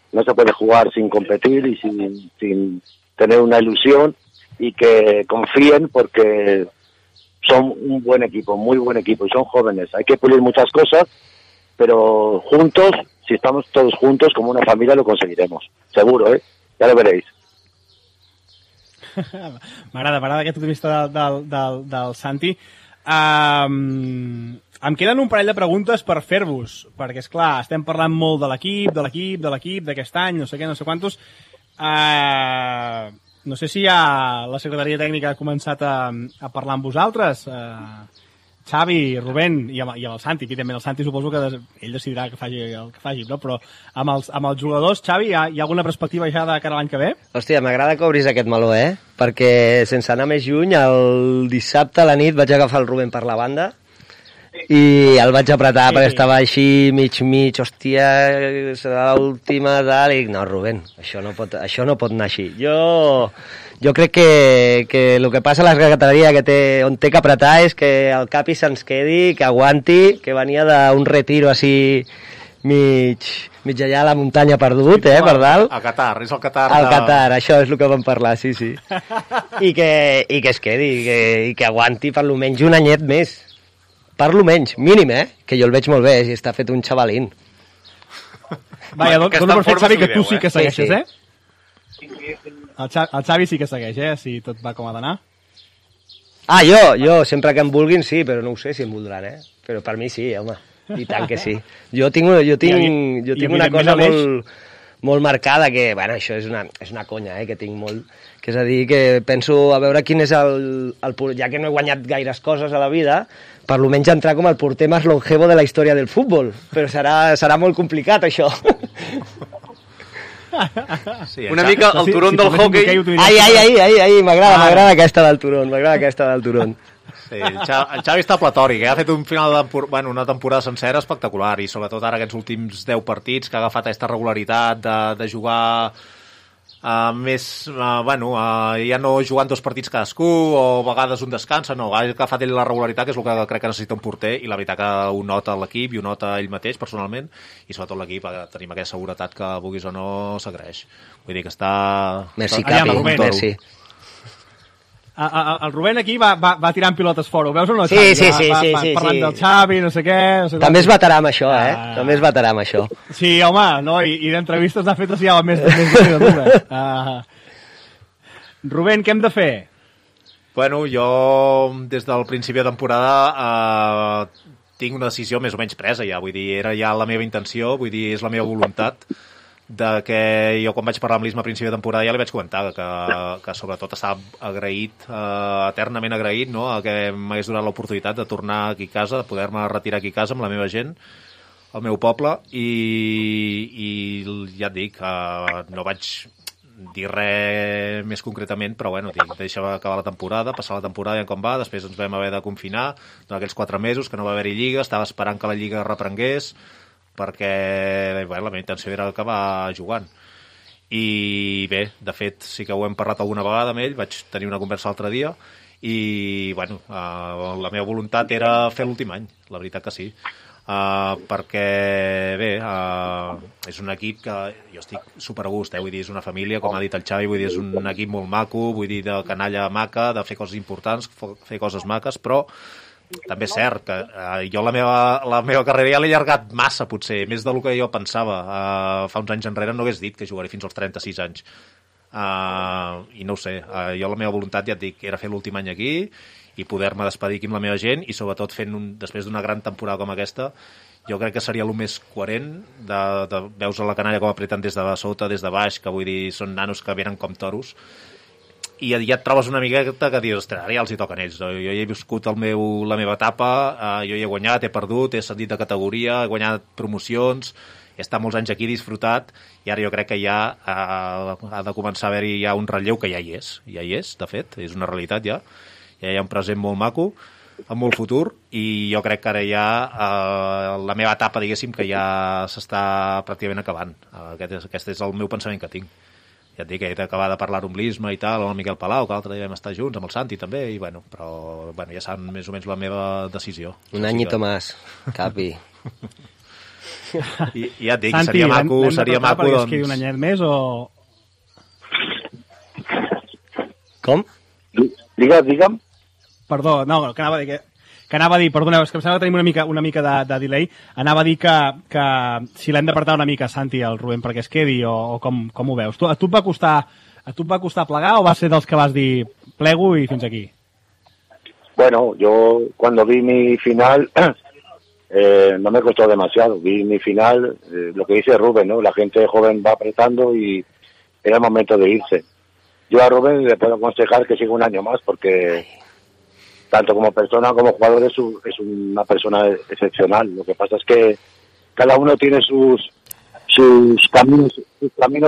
no se puede jugar sin competir y sin tener una ilusión, y que confíen porque son un buen equipo, muy buen equipo, y son jóvenes. Hay que pulir muchas cosas, pero juntos, si estamos todos juntos como una familia, lo conseguiremos. Seguro, ya lo veréis. M'agrada aquest optimista del Santi. Em queden un parell de preguntes per fer-vos, perquè, esclar, estem parlant molt de l'equip d'aquest any, no sé què, no sé quantos. No sé si ja la secretaria tècnica ha començat a parlar amb vosaltres. Xavi, Rubén i amb el Santi. Aquí també el Santi suposo que ell decidirà que faci el que faci, no? Però amb els jugadors, Xavi, hi ha alguna perspectiva ja de cara a l'any que ve? Hòstia, m'agrada que obris aquest meló, perquè sense anar més lluny, el dissabte a la nit vaig agafar el Rubén per la banda i el vaig apretar perquè estava així mig, hòstia, serà l'última tal, i no, Rubén, això no pot anar així. Jo crec que el que passa a la secretaria on té que apretar és que el Capi se'ns quedi, que aguanti, que venia d'un retiro així mig allà a la muntanya perdut, per dalt. A Qatar, és el Qatar. Al Qatar, això és el que vam parlar, sí. I que es quedi, i que aguanti per almenys un anyet més. Per almenys, mínim, que jo el veig molt bé, i està fet un xavalín. Vaja, dono per fet, Xavi, que tu sí que segueixes, El Xavi sí que segueix, si tot va com ha d'anar. Jo, sempre que em vulguin, sí, però no ho sé si em voldran, Però per mi sí, home, i tant que sí. Jo tinc una cosa molt marcada, que, bueno, això és una conya, que tinc molt, que és a dir, que penso a veure quin és ja que no he guanyat gaires coses a la vida, per almenys entrar com el porter més longevo de la història del futbol, però serà molt complicat, això. Sí, una mica el turón del hockey. Ai, m'agrada aquesta del turón, Sí, el Xavi està platòric, ha fet una temporada sencera espectacular, i sobretot ara aquests últims 10 partits que ha agafat aquesta regularitat de jugar ja no jugant 2 partits cadascú o a vegades un descansa, no, ha agafat ell la regularitat, que és el que crec que necessita un porter, i la veritat que ho nota l'equip i ho nota ell mateix personalment, i sobretot l'equip tenim aquesta seguretat que vulguis o no s'agraeix. Vull dir que està... Merci, Capi, merci. El Rubén aquí va tirant pilotes fora, ho veus o no? Sí. Parlant del Xavi, no sé què... També es batarà amb això, També es batarà amb això. Sí, home, no? I d'entrevistes n'ha fet ja més de dues. Rubén, què hem de fer? Bueno, jo des del principi de temporada tinc una decisió més o menys presa ja, vull dir, era ja la meva intenció, vull dir, és la meva voluntat que jo quan vaig parlar amb l'Isma a principi de temporada ja li vaig comentar que sobretot estava agraït, eternament agraït, no?, a que m'hagués donat l'oportunitat de tornar aquí a casa, de poder-me retirar aquí a casa amb la meva gent, al meu poble, i ja et dic, no vaig dir res més concretament, però bueno, deixava acabar la temporada, passar la temporada i com va, després ens vam haver de confinar durant aquells 4 mesos, que no va haver-hi lliga, estava esperant que la lliga reprengués, perquè bueno, la meva intenció era acabar jugant. I bé, de fet, sí que ho hem parlat alguna vegada amb ell, vaig tenir una conversa l'altre dia, i bueno, la meva voluntat era fer l'últim any, la veritat que sí. Perquè bé, és un equip que jo estic super a gust, vull dir, és una família, com ha dit el Xavi, vull dir, és un equip molt maco, vull dir, de canalla maca, de fer coses importants, fer coses maques, però també és cert que jo la meva carrera ja l'he allargat massa, potser, més del que jo pensava. Fa uns anys enrere no hagués dit que jugaré fins als 36 anys. I no ho sé, jo la meva voluntat, ja et dic, era fer l'últim any aquí i poder-me despedir aquí amb la meva gent, i sobretot després d'una gran temporada com aquesta, jo crec que seria el més coherent de veus a la canalla com apreten des de sota, des de baix, que vull dir, són nanos que venen com toros, i ja et trobes una miqueta que dius, ostres, ara ja els hi toquen ells, no? Jo ja he viscut la meva etapa, jo ja he guanyat, he perdut, he ascendit de categoria, he guanyat promocions, he estat molts anys aquí, disfrutat, i ara jo crec que ja ha de començar a haver-hi ja un relleu, que ja hi és, de fet, és una realitat ja hi ha un present molt maco, amb molt futur, i jo crec que ara ja la meva etapa, diguéssim, que ja s'està pràcticament acabant. Aquest és el meu pensament que tinc. Ja et dic que he d'acabar de parlar amb l'Isma i tal, amb el Miquel Palau, que l'altre dia vam estar junts, amb el Santi també, i bueno, però bueno, ja saben més o menys la meva decisió. Un anyito més, Capi. I ja et dic, Santi, seria maco, doncs... Santi, un anyet més o... Com? Digue'm. Perdó, no, que anava a dir, perdoneu, és que em sembla que tenim una mica de delay, anava a dir que si l'hem d'apartar una mica, Santi, el Rubén, perquè es quedi, o com ho veus? A tu et va costar plegar o vas ser dels que vas dir plego i fins aquí? Bueno, yo cuando vi mi final no me costó demasiado, vi mi final, lo que dice Rubén, ¿no? La gente joven va apretando y era el momento de irse. Yo a Rubén le puedo aconsejar que siga un año más porque tanto como persona como jugador es una persona excepcional. Lo que pasa es que cada uno tiene sus caminos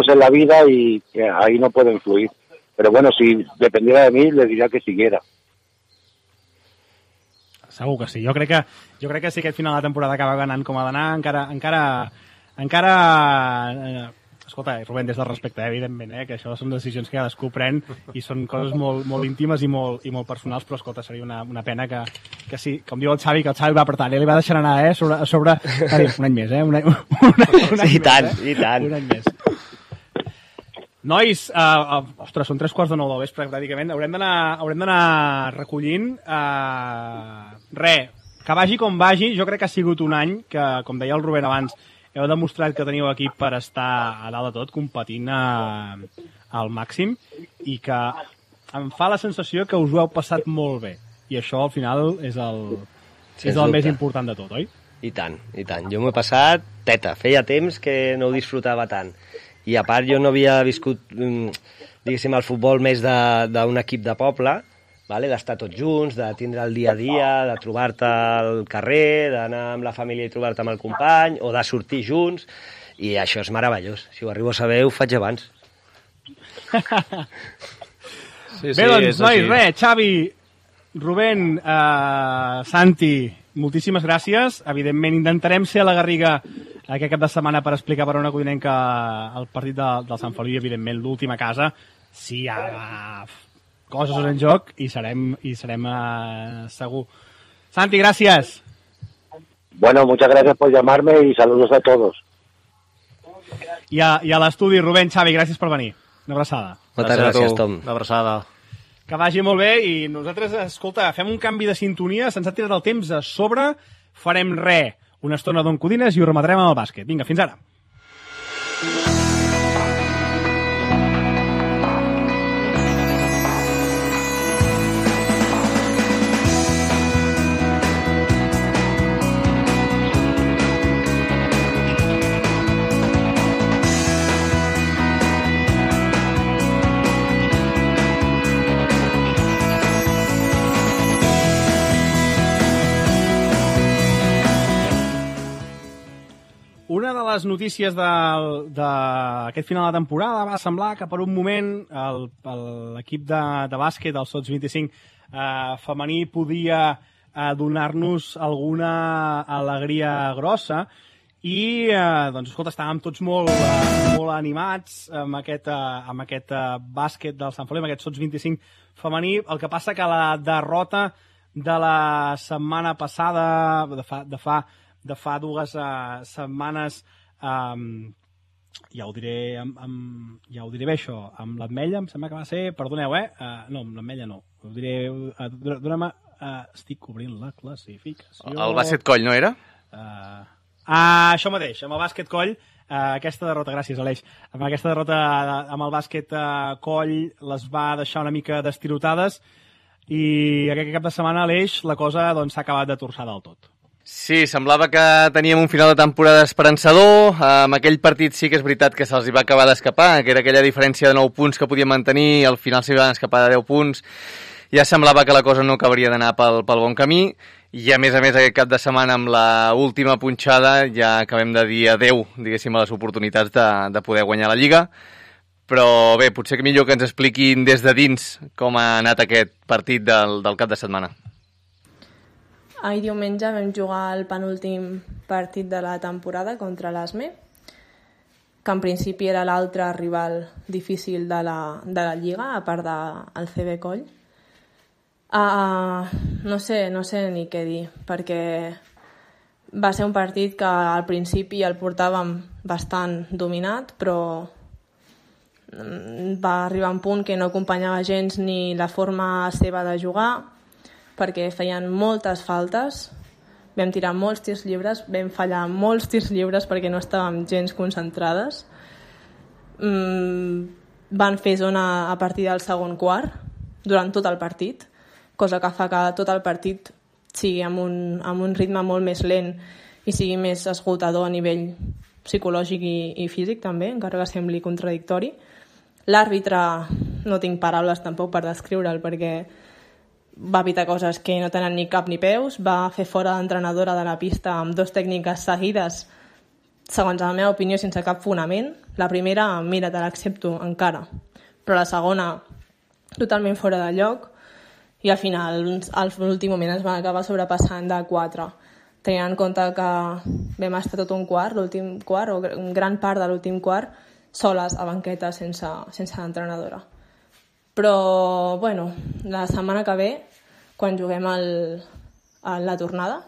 en la vida y ahí no puede influir. Pero bueno, si dependiera de mí, le diría que siguiera. Segur que sí. Jo crec que si aquest final de temporada acaba ganant com ha d'anar, encara escolta, Rubén, des del respecte, evidentment, que això són decisions que cadascú pren i són coses molt, molt íntimes i molt personals, però escolta, seria una pena que sí, com diu el Xavi, que el Xavi va apretar, li va deixar anar, a sobre un any més, un any i tant, més, i tant. Un any més. Nois, ostres, són 3:15 del vespre, pràcticament, haurem d'anar recollint. Que vagi com vagi, jo crec que ha sigut un any que, com deia el Rubén abans, heu demostrat que teniu equip per estar a dalt de tot, competint al màxim, i que em fa la sensació que us ho heu passat molt bé. I això, al final, és el més important de tot, oi? I tant, i tant. Jo m'ho he passat teta. Feia temps que no ho disfrutava tant. I a part, jo no havia viscut, diguéssim, el futbol més d'un equip de poble, d'estar tots junts, de tindre el dia a dia, de trobar-te al carrer, d'anar amb la família i trobar-te amb el company, o de sortir junts, i això és meravellós. Si ho arribo a saber, ho faig abans. Bé, doncs, nois, Xavi, Rubén, Santi, moltíssimes gràcies. Evidentment, intentarem ser a la Garriga aquest cap de setmana per explicar per una codinenca el partit del Sant Feliu, i, evidentment, l'última casa, si hi ha coses en joc, i serem segur. Santi, gràcies. Bueno, muchas gracias por llamarme y saludos a todos. I a l'estudi, Rubén, Xavi, gràcies per venir. Una abraçada. Moltes gràcies, Tom. Una abraçada. Que vagi molt bé, i nosaltres, escolta, fem un canvi de sintonia, se'ns ha tirat el temps a sobre, farem una estona d'on codines i ho rematarem amb el bàsquet. Vinga, fins ara. una de les notícies d'aquest final de temporada va semblar que per un moment l'equip de bàsquet, el Sots 25 femení, podia donar-nos alguna alegria grossa i, doncs, escolta, estàvem tots molt animats amb aquest bàsquet del Sant Feliu, amb aquest Sots 25 femení. El que passa que la derrota de la setmana passada, de fa 2 setmanes, ja ho diré bé, això, amb l'Ametlla, em sembla que va ser, perdoneu, no, amb l'Ametlla no, ho diré, dona'm, estic obrint la classificació. El bàsquet Coll, no era? Això mateix, amb el bàsquet Coll, aquesta derrota, gràcies Aleix, amb aquesta derrota amb el bàsquet Coll les va deixar una mica destirotades i aquest cap de setmana, Aleix, la cosa doncs, s'ha acabat de torçar del tot. Sí, semblava que teníem un final de temporada esperançador. Amb aquell partit sí que és veritat que se'ls va acabar d'escapar, que era aquella diferència de 9 punts que podien mantenir, al final s'hi van escapar de 10 punts. Ja semblava que la cosa no acabaria d'anar pel bon camí, i a més aquest cap de setmana amb la última punxada ja acabem de dir adeu, diguéssim, a les oportunitats de poder guanyar la Lliga. Però bé, potser que millor que ens expliquin des de dins com ha anat aquest partit del cap de setmana. Ahir diumenge vam jugar el penúltim partit de la temporada contra l'ASME, que en principi era l'altre rival difícil de la Lliga, a part del CB Coll. No sé ni què dir, perquè va ser un partit que al principi el portàvem bastant dominat, però va arribar un punt que no acompanyava gens ni la forma seva de jugar, perquè feien moltes faltes, vam tirar molts tirs lliures, vam fallar molts tirs lliures perquè no estàvem gens concentrades. Van fer zona a partir del segon quart, durant tot el partit, cosa que fa que tot el partit sigui amb un ritme molt més lent i sigui més esgotador a nivell psicològic i físic també, encara que sembli contradictori. L'àrbitre, no tinc paraules tampoc per descriure'l, perquè va evitar coses que no tenen ni cap ni peus, va fer fora l'entrenadora de la pista amb 2 tècniques seguides, segons la meva opinió, sense cap fonament. La primera, mira, te l'accepto encara, però la segona, totalment fora de lloc, i al final, a l'últim moment, es van acabar sobrepassant de 4. Tenint en compte que vam estar tot un quart, l'últim quart, o gran part de l'últim quart, soles a banqueta sense l'entrenadora. Però, bueno, la setmana que ve, quan juguem a la tornada,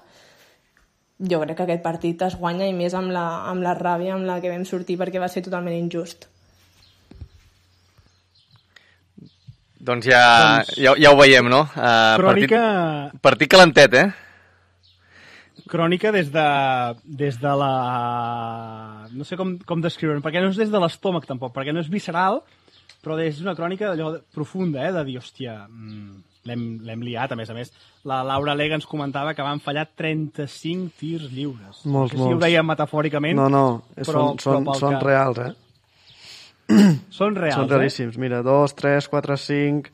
jo crec que aquest partit es guanya, i més amb la ràbia amb la que vam sortir, perquè va ser totalment injust. Doncs ja ho veiem, no? Crònica... Partit calentet, Crònica des de la... No sé com descriure-ho, perquè no és des de l'estómac tampoc, perquè no és visceral, però és una crònica d'allò profunda, de dir, hòstia, l'hem liat, a més. La Laura Lega ens comentava que van fallar 35 tirs lliures. Molts. No sé si ho deia metafòricament. No, són reals, Són reals, Són realíssims. Mira, 2, 3, 4, 5,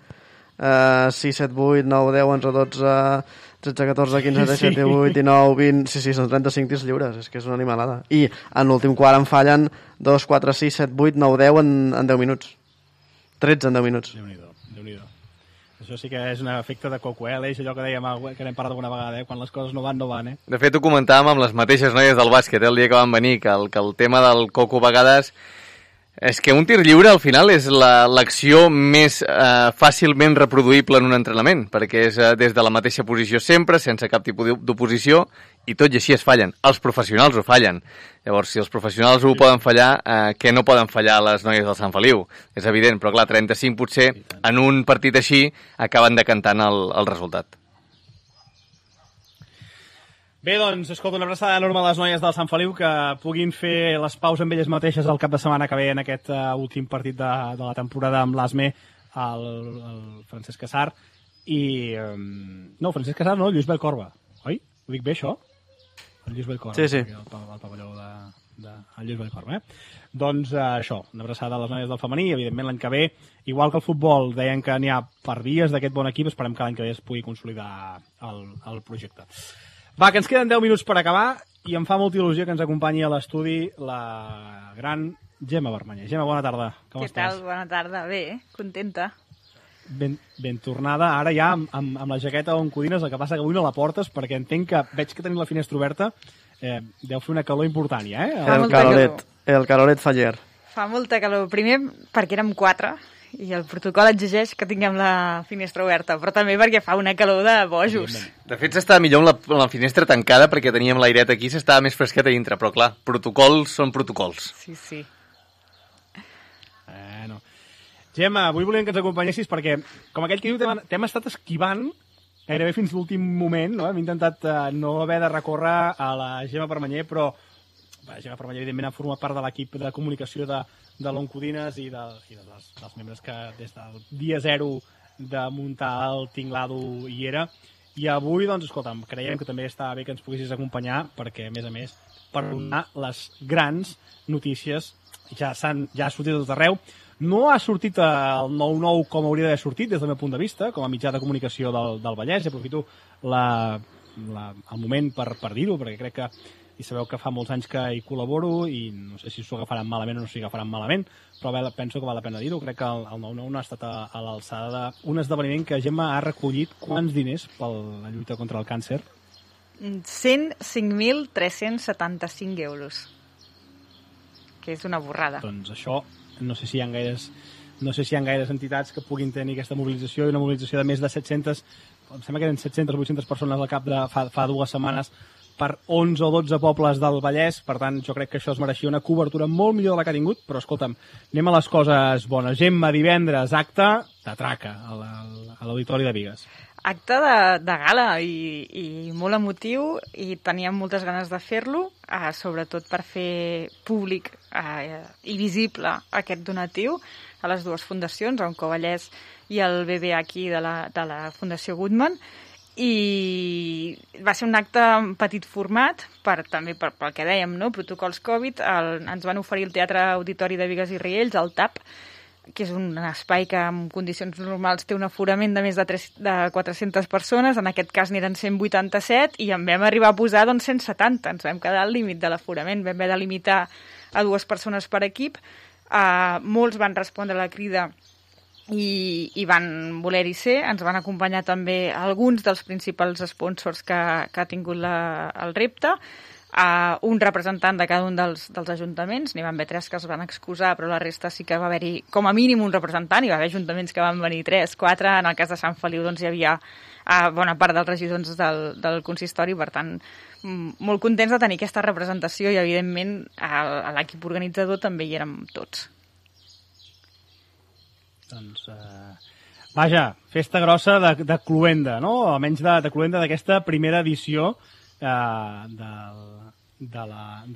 6, 7, 8, 9, 10, 11, 12, 13, 14, 15, 17, 18, 19, 20... Sí, són 35 tirs lliures, és que és una animalada. I en l'últim quart en fallen 2, 4, 6, 7, 8, 9, 10 en 10 minuts. 13 en 10 minuts. Déu-n'hi-do. Això sí que és un efecte de coco, Aleix, allò que dèiem, que n'hem parlat alguna vegada, quan les coses no van, no van, De fet, ho comentàvem amb les mateixes noies del bàsquet, el dia que van venir, que el tema del coco a vegades... És que un tir lliure, al final, és l'acció més fàcilment reproduïble en un entrenament, perquè és des de la mateixa posició sempre, sense cap tipus d'oposició, i tot i així es fallen. Els professionals ho fallen. Llavors, si els professionals ho poden fallar, què no poden fallar les noies del Sant Feliu? És evident, però clar, 35 potser, en un partit així, acaben decantant el resultat. Bé, doncs, escolta, una abraçada enorme a les noies del Sant Feliu, que puguin fer les paus amb elles mateixes el cap de setmana que ve en aquest últim partit de la temporada amb l'ASME, el Francesc Casar, i... No, Francesc Casar no, Lluís Bellcorba. Oi? Ho dic bé, això? El Lluís Bellcorba. Sí. El pavelló de Lluís Bellcorba, Doncs això, una abraçada a les noies del femení, i evidentment l'any que ve, igual que el futbol, deien que n'hi ha per vies d'aquest bon equip, esperem que l'any que ve es pugui consolidar el projecte. Va, que ens queden 10 minuts per acabar i em fa molta il·lusió que ens acompanyi a l'estudi la gran Gemma Vermanyer. Gemma, bona tarda. Com Què estàs? tal? Bona tarda. Bé, contenta. Ben tornada. Ara ja amb la jaqueta on codines, el que passa que avui no la portes perquè entenc que veig que tenim la finestra oberta. Deu fer una calor important ja, El caloret faller. Fa molta calor. Primer perquè érem 4 i el protocol exigeix que tinguem la finestra oberta, però també perquè fa una calor de bojos. De fet, s'estava millor amb la finestra tancada perquè teníem l'airet aquí, s'estava més fresquet a dintre, però clar, protocols són protocols. Sí. Bueno. Gemma, avui volíem que ens acompanyessis perquè, com aquell que diu, t'hem estat esquivant gairebé fins l'últim moment, no? Hem intentat no haver de recórrer a la Gemma Vermanyer, però la Gemma Vermanyer, evidentment, ha format part de l'equip de comunicació de l'Oncodines i dels membres que des del dia 0 de muntar el tinglado hi era. I avui, doncs, escolta'm, creiem que també està bé que ens poguessis acompanyar perquè, a més, per donar les grans notícies ja ha sortit de tot arreu. No ha sortit el 9-9 com hauria d'haver sortit des del meu punt de vista, com a mitjà de comunicació del Vallès, i aprofito el moment per dir-ho, perquè crec que i sabeu que fa molts anys que hi col·laboro i no sé si s'ho agafaran malament o no s'ho agafaran malament, però penso que val la pena dir-ho. Crec que el 9-9 no ha estat a l'alçada d'un esdeveniment que Gemma ha recollit quants diners per la lluita contra el càncer? 105.375 euros, que és una borrada. Doncs això, no sé si hi ha gaires entitats que puguin tenir aquesta mobilització, i una mobilització de més de 700, em sembla que eren 700 o 800 persones al cap de fa 2 setmanes per 11 o 12 pobles del Vallès. Per tant, jo crec que això es mereixia una cobertura molt millor de la que ha tingut, però escolta'm, anem a les coses bones. Gemma, divendres, acte de traca a l'Auditori de Bigues. Acte de gala i molt emotiu, i teníem moltes ganes de fer-lo, sobretot per fer públic i visible aquest donatiu a les 2 fundacions, Oncovallès i el BBH de la Fundació Goodman, i va ser un acte en petit format, també pel que dèiem, no? Protocols Covid. Ens van oferir el Teatre Auditori de Bigues i Riells, el TAP, que és un espai que en condicions normals té un aforament de més de 400 persones, en aquest cas n'eren 187, i en vam arribar a posar 170, ens vam quedar al límit de l'aforament, vam haver de limitar a 2 persones per equip. Molts van respondre a la crida i van voler-hi ser. Ens van acompanyar també alguns dels principals sponsors que ha tingut el repte, un representant de cada un dels ajuntaments. N'hi van haver 3 que es van excusar, però la resta sí que va haver-hi com a mínim un representant. Hi va haver ajuntaments que van venir 3, 4, en el cas de Sant Feliu doncs hi havia bona part dels regidors del consistori, per tant molt contents de tenir aquesta representació, i evidentment a l'equip organitzador també hi érem tots. Doncs, vaja, festa grossa de Cluenda, no? Almenys de Cluenda, d'aquesta primera edició de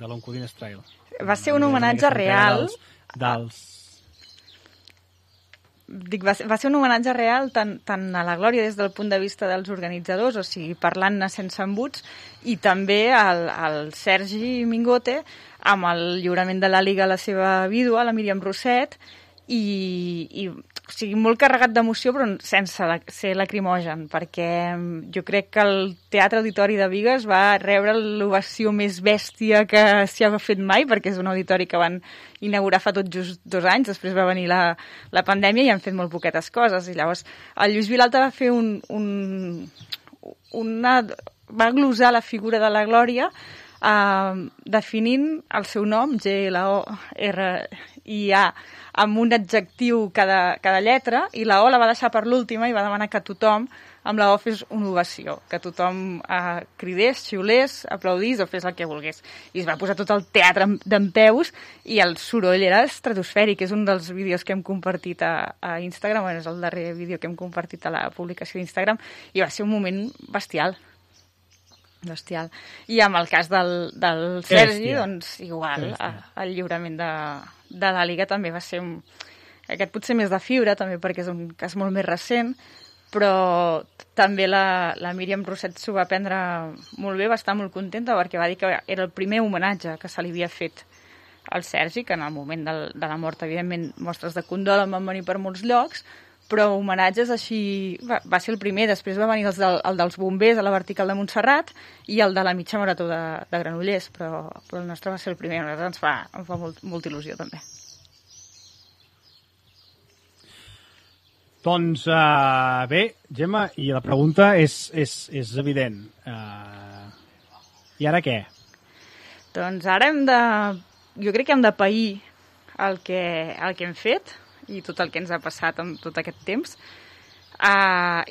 l'Oncodines Trail. Va ser un homenatge real. Va ser un homenatge real tant a la Glòria des del punt de vista dels organitzadors, o sigui, parlant-ne sense embuts, i també al Sergi Mingote amb el lliurament de la Liga a la seva vídua, la Míriam Rosset, i o sigui, molt carregat d'emoció, però sense ser lacrimogen, perquè jo crec que el Teatre Auditori de Bigues va rebre l'ovació més bèstia que s'hi ha fet mai, perquè és un auditori que van inaugurar fa tot just 2 anys, després va venir la pandèmia i han fet molt poquetes coses, i llavors el Lluís Vilalta va fer va glosar la figura de la Glòria definint el seu nom, G-L-O-R-I-A, amb un adjectiu cada lletra, i la O la va deixar per l'última i va demanar que tothom amb la O fes una ovació, que tothom cridés, xiulés, aplaudís o fes el que volgués. I es va posar tot el teatre dempeus i el soroll era estratosfèric. És un dels vídeos que hem compartit a Instagram, és el darrer vídeo que hem compartit a la publicació d'Instagram, i va ser un moment bestial. I amb el cas del Sergi, doncs igual, el lliurament de la Liga també va ser aquest potser més de fibra, també perquè és un cas molt més recent, però també la Míriam Rosset s'ho va prendre molt bé, va estar molt contenta perquè va dir que era el primer homenatge que se li havia fet al Sergi, que en el moment de la mort, evidentment, mostres de condol en van venir per molts llocs, però homenatges així... Va ser el primer, després va venir el dels bombers a la vertical de Montserrat i el de la mitja marató de Granollers, però el nostre va ser el primer, a nosaltres ens fa molta il·lusió també. Doncs bé, Gemma, i la pregunta és evident. I ara què? Doncs ara jo crec que hem de pair el que hem fet i tot el que ens ha passat en tot aquest temps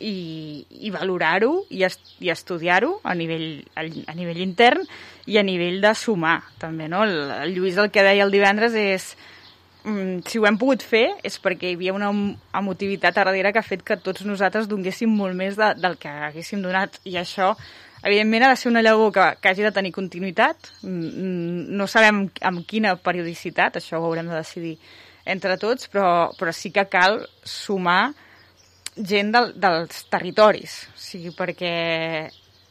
i valorar-ho i estudiar-ho a nivell intern i a nivell de sumar també, no? El Lluís el que deia el divendres és si ho hem pogut fer és perquè hi havia una emotivitat a darrere que ha fet que tots nosaltres donéssim molt més del que haguéssim donat i això evidentment ha de ser una llavor que hagi de tenir continuïtat, no sabem amb quina periodicitat, això ho haurem de decidir entre tots, però sí que cal sumar gent dels territoris, o sigui, perquè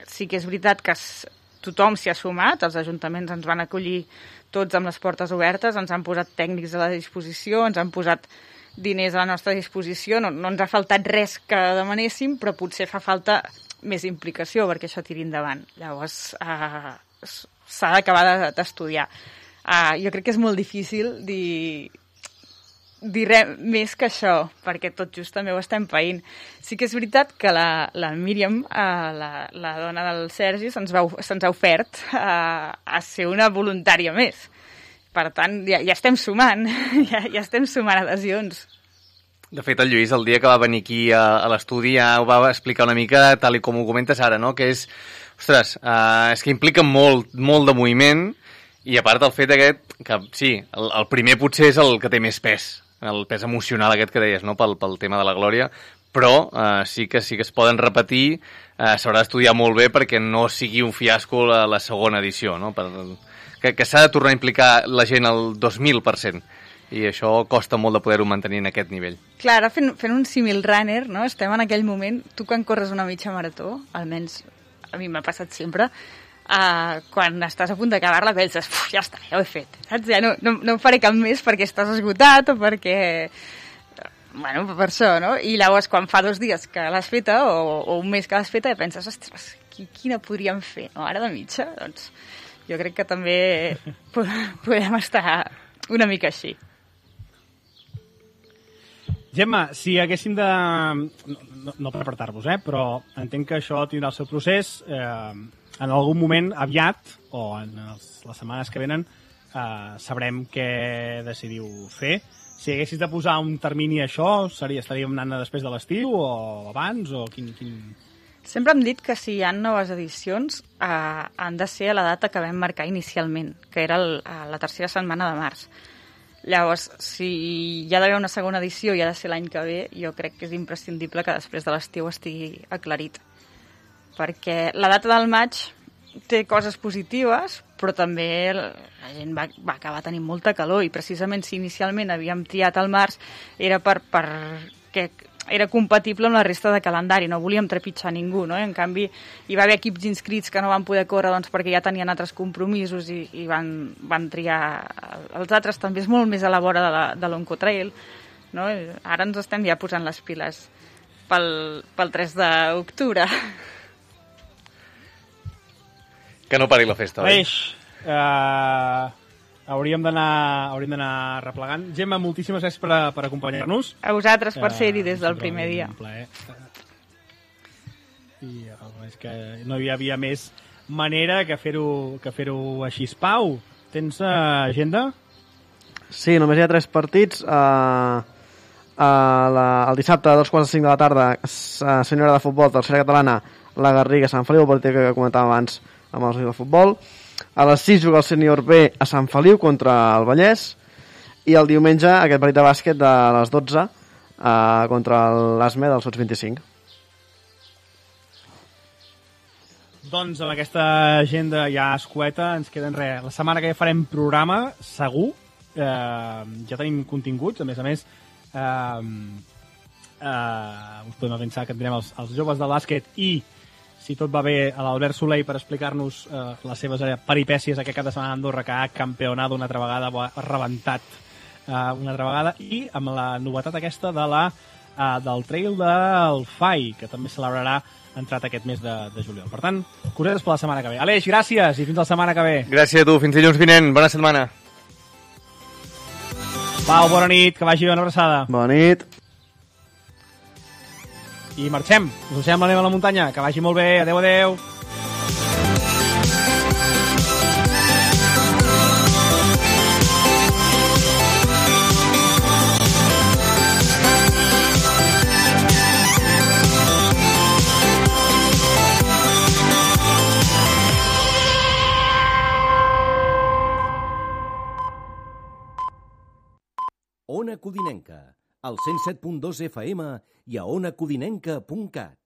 sí que és veritat que tothom s'hi ha sumat, els ajuntaments ens van acollir tots amb les portes obertes, ens han posat tècnics a la disposició, ens han posat diners a la nostra disposició, no ens ha faltat res que demanéssim, però potser fa falta més implicació perquè això tiri endavant. Llavors, s'ha d'acabar d'estudiar. Jo crec que és molt difícil dir res més que això, perquè tot just també ho estem païnt. Sí que és veritat que la Míriam, la dona del Sergi, se'ns ha ofert a ser una voluntària més. Per tant, ja estem sumant, ja estem sumant adhesions. De fet, el Lluís, el dia que va venir aquí a l'estudi, ja ho va explicar una mica, tal i com ho comentes ara, no? Que és, ostres, és que implica molt de moviment i a part el fet aquest, que sí, el primer potser és el que té més pes, el pes emocional aquest que deies, no? Pel tema de la glòria, però sí que es poden repetir, s'haurà d'estudiar molt bé perquè no sigui un fiasco la segona edició, no? Que s'ha de tornar a implicar la gent al 2000%. I això costa molt de poder-ho mantenir en aquest nivell. Clar, ara fent un símil runner, no? Estem en aquell moment, tu quan corres una mitja marató, almenys a mi m'ha passat sempre, quan estàs a punt d'acabar-la penses, ja està, ja ho he fet, saps? Ja no faré cap més perquè estàs esgotat o perquè... Bueno, per això, no? I llavors quan fa 2 dies que l'has feta o un mes que l'has feta penses, ostres, quina podríem fer, no? Ara de mitja, doncs jo crec que també podem estar una mica així. Gemma, si haguéssim de... No per apartar-vos, però entenc que això tindrà el seu procés. En algun moment aviat, o en les setmanes que venen, sabrem què decidiu fer. Si haguessis de posar un termini a això, estaríem anant després de l'estiu o abans? O quin... Sempre hem dit que si hi ha noves edicions han de ser a la data que vam marcar inicialment, que era la tercera setmana de març. Llavors, si hi ha d'haver una segona edició i ha de ser l'any que ve, jo crec que és imprescindible que després de l'estiu estigui aclarit. Perquè la data del maig té coses positives, però també la gent va acabar tenint molta calor i precisament si inicialment havíem triat el març era perquè era compatible amb la resta de calendari, no volíem trepitjar ningú, no? En canvi, hi va haver equips inscrits que no van poder córrer doncs, perquè ja tenien altres compromisos i van triar els altres. També és molt més a la vora de l'Oncotrail, no? Ara ens estem ja posant les piles pel 3 d'octubre. Que no pari la festa, oi? Hauríem d'anar replegant. Gemma, moltíssimes gràcies per acompanyar-nos. A vosaltres per ser-hi des del primer dia. Un plaer. I és que no hi havia més manera que fer-ho així. Pau, tens agenda? Sí, només hi ha 3 partits. El dissabte a 2:45 de la tarda, senyora de futbol, tercera catalana, la Garriga, Sant Feliu, el partit que comentàvem abans amb els de futbol. A les 6 juga el sènior B a Sant Feliu contra el Vallès i el diumenge aquest partit de bàsquet de les 12 contra l'ASME del Sots 25. Doncs amb aquesta agenda ja escueta ens queden res. La setmana que ja farem programa, segur. Ja tenim continguts, a més us podem pensar que tindrem els joves del bàsquet i si tot va bé, a l'Albert Soleil per explicar-nos les seves peripècies aquest cap de setmana a Andorra, que ha campionat una altra vegada, ha rebentat una altra vegada, i amb la novetat aquesta de la del Trail del FAI, que també celebrarà entrat aquest mes de juliol. Per tant, cosetes per la setmana que ve. Aleix, gràcies i fins la setmana que ve. Gràcies a tu, fins dilluns vinent. Bona setmana. Pau, bona nit, que vagi bé, una abraçada. Bona nit. I marxem, us deixem la neu a la muntanya, que vagi molt bé, adeu, adeu. Ona Codinenca, al 107.2 FM i a onacodinenca.cat.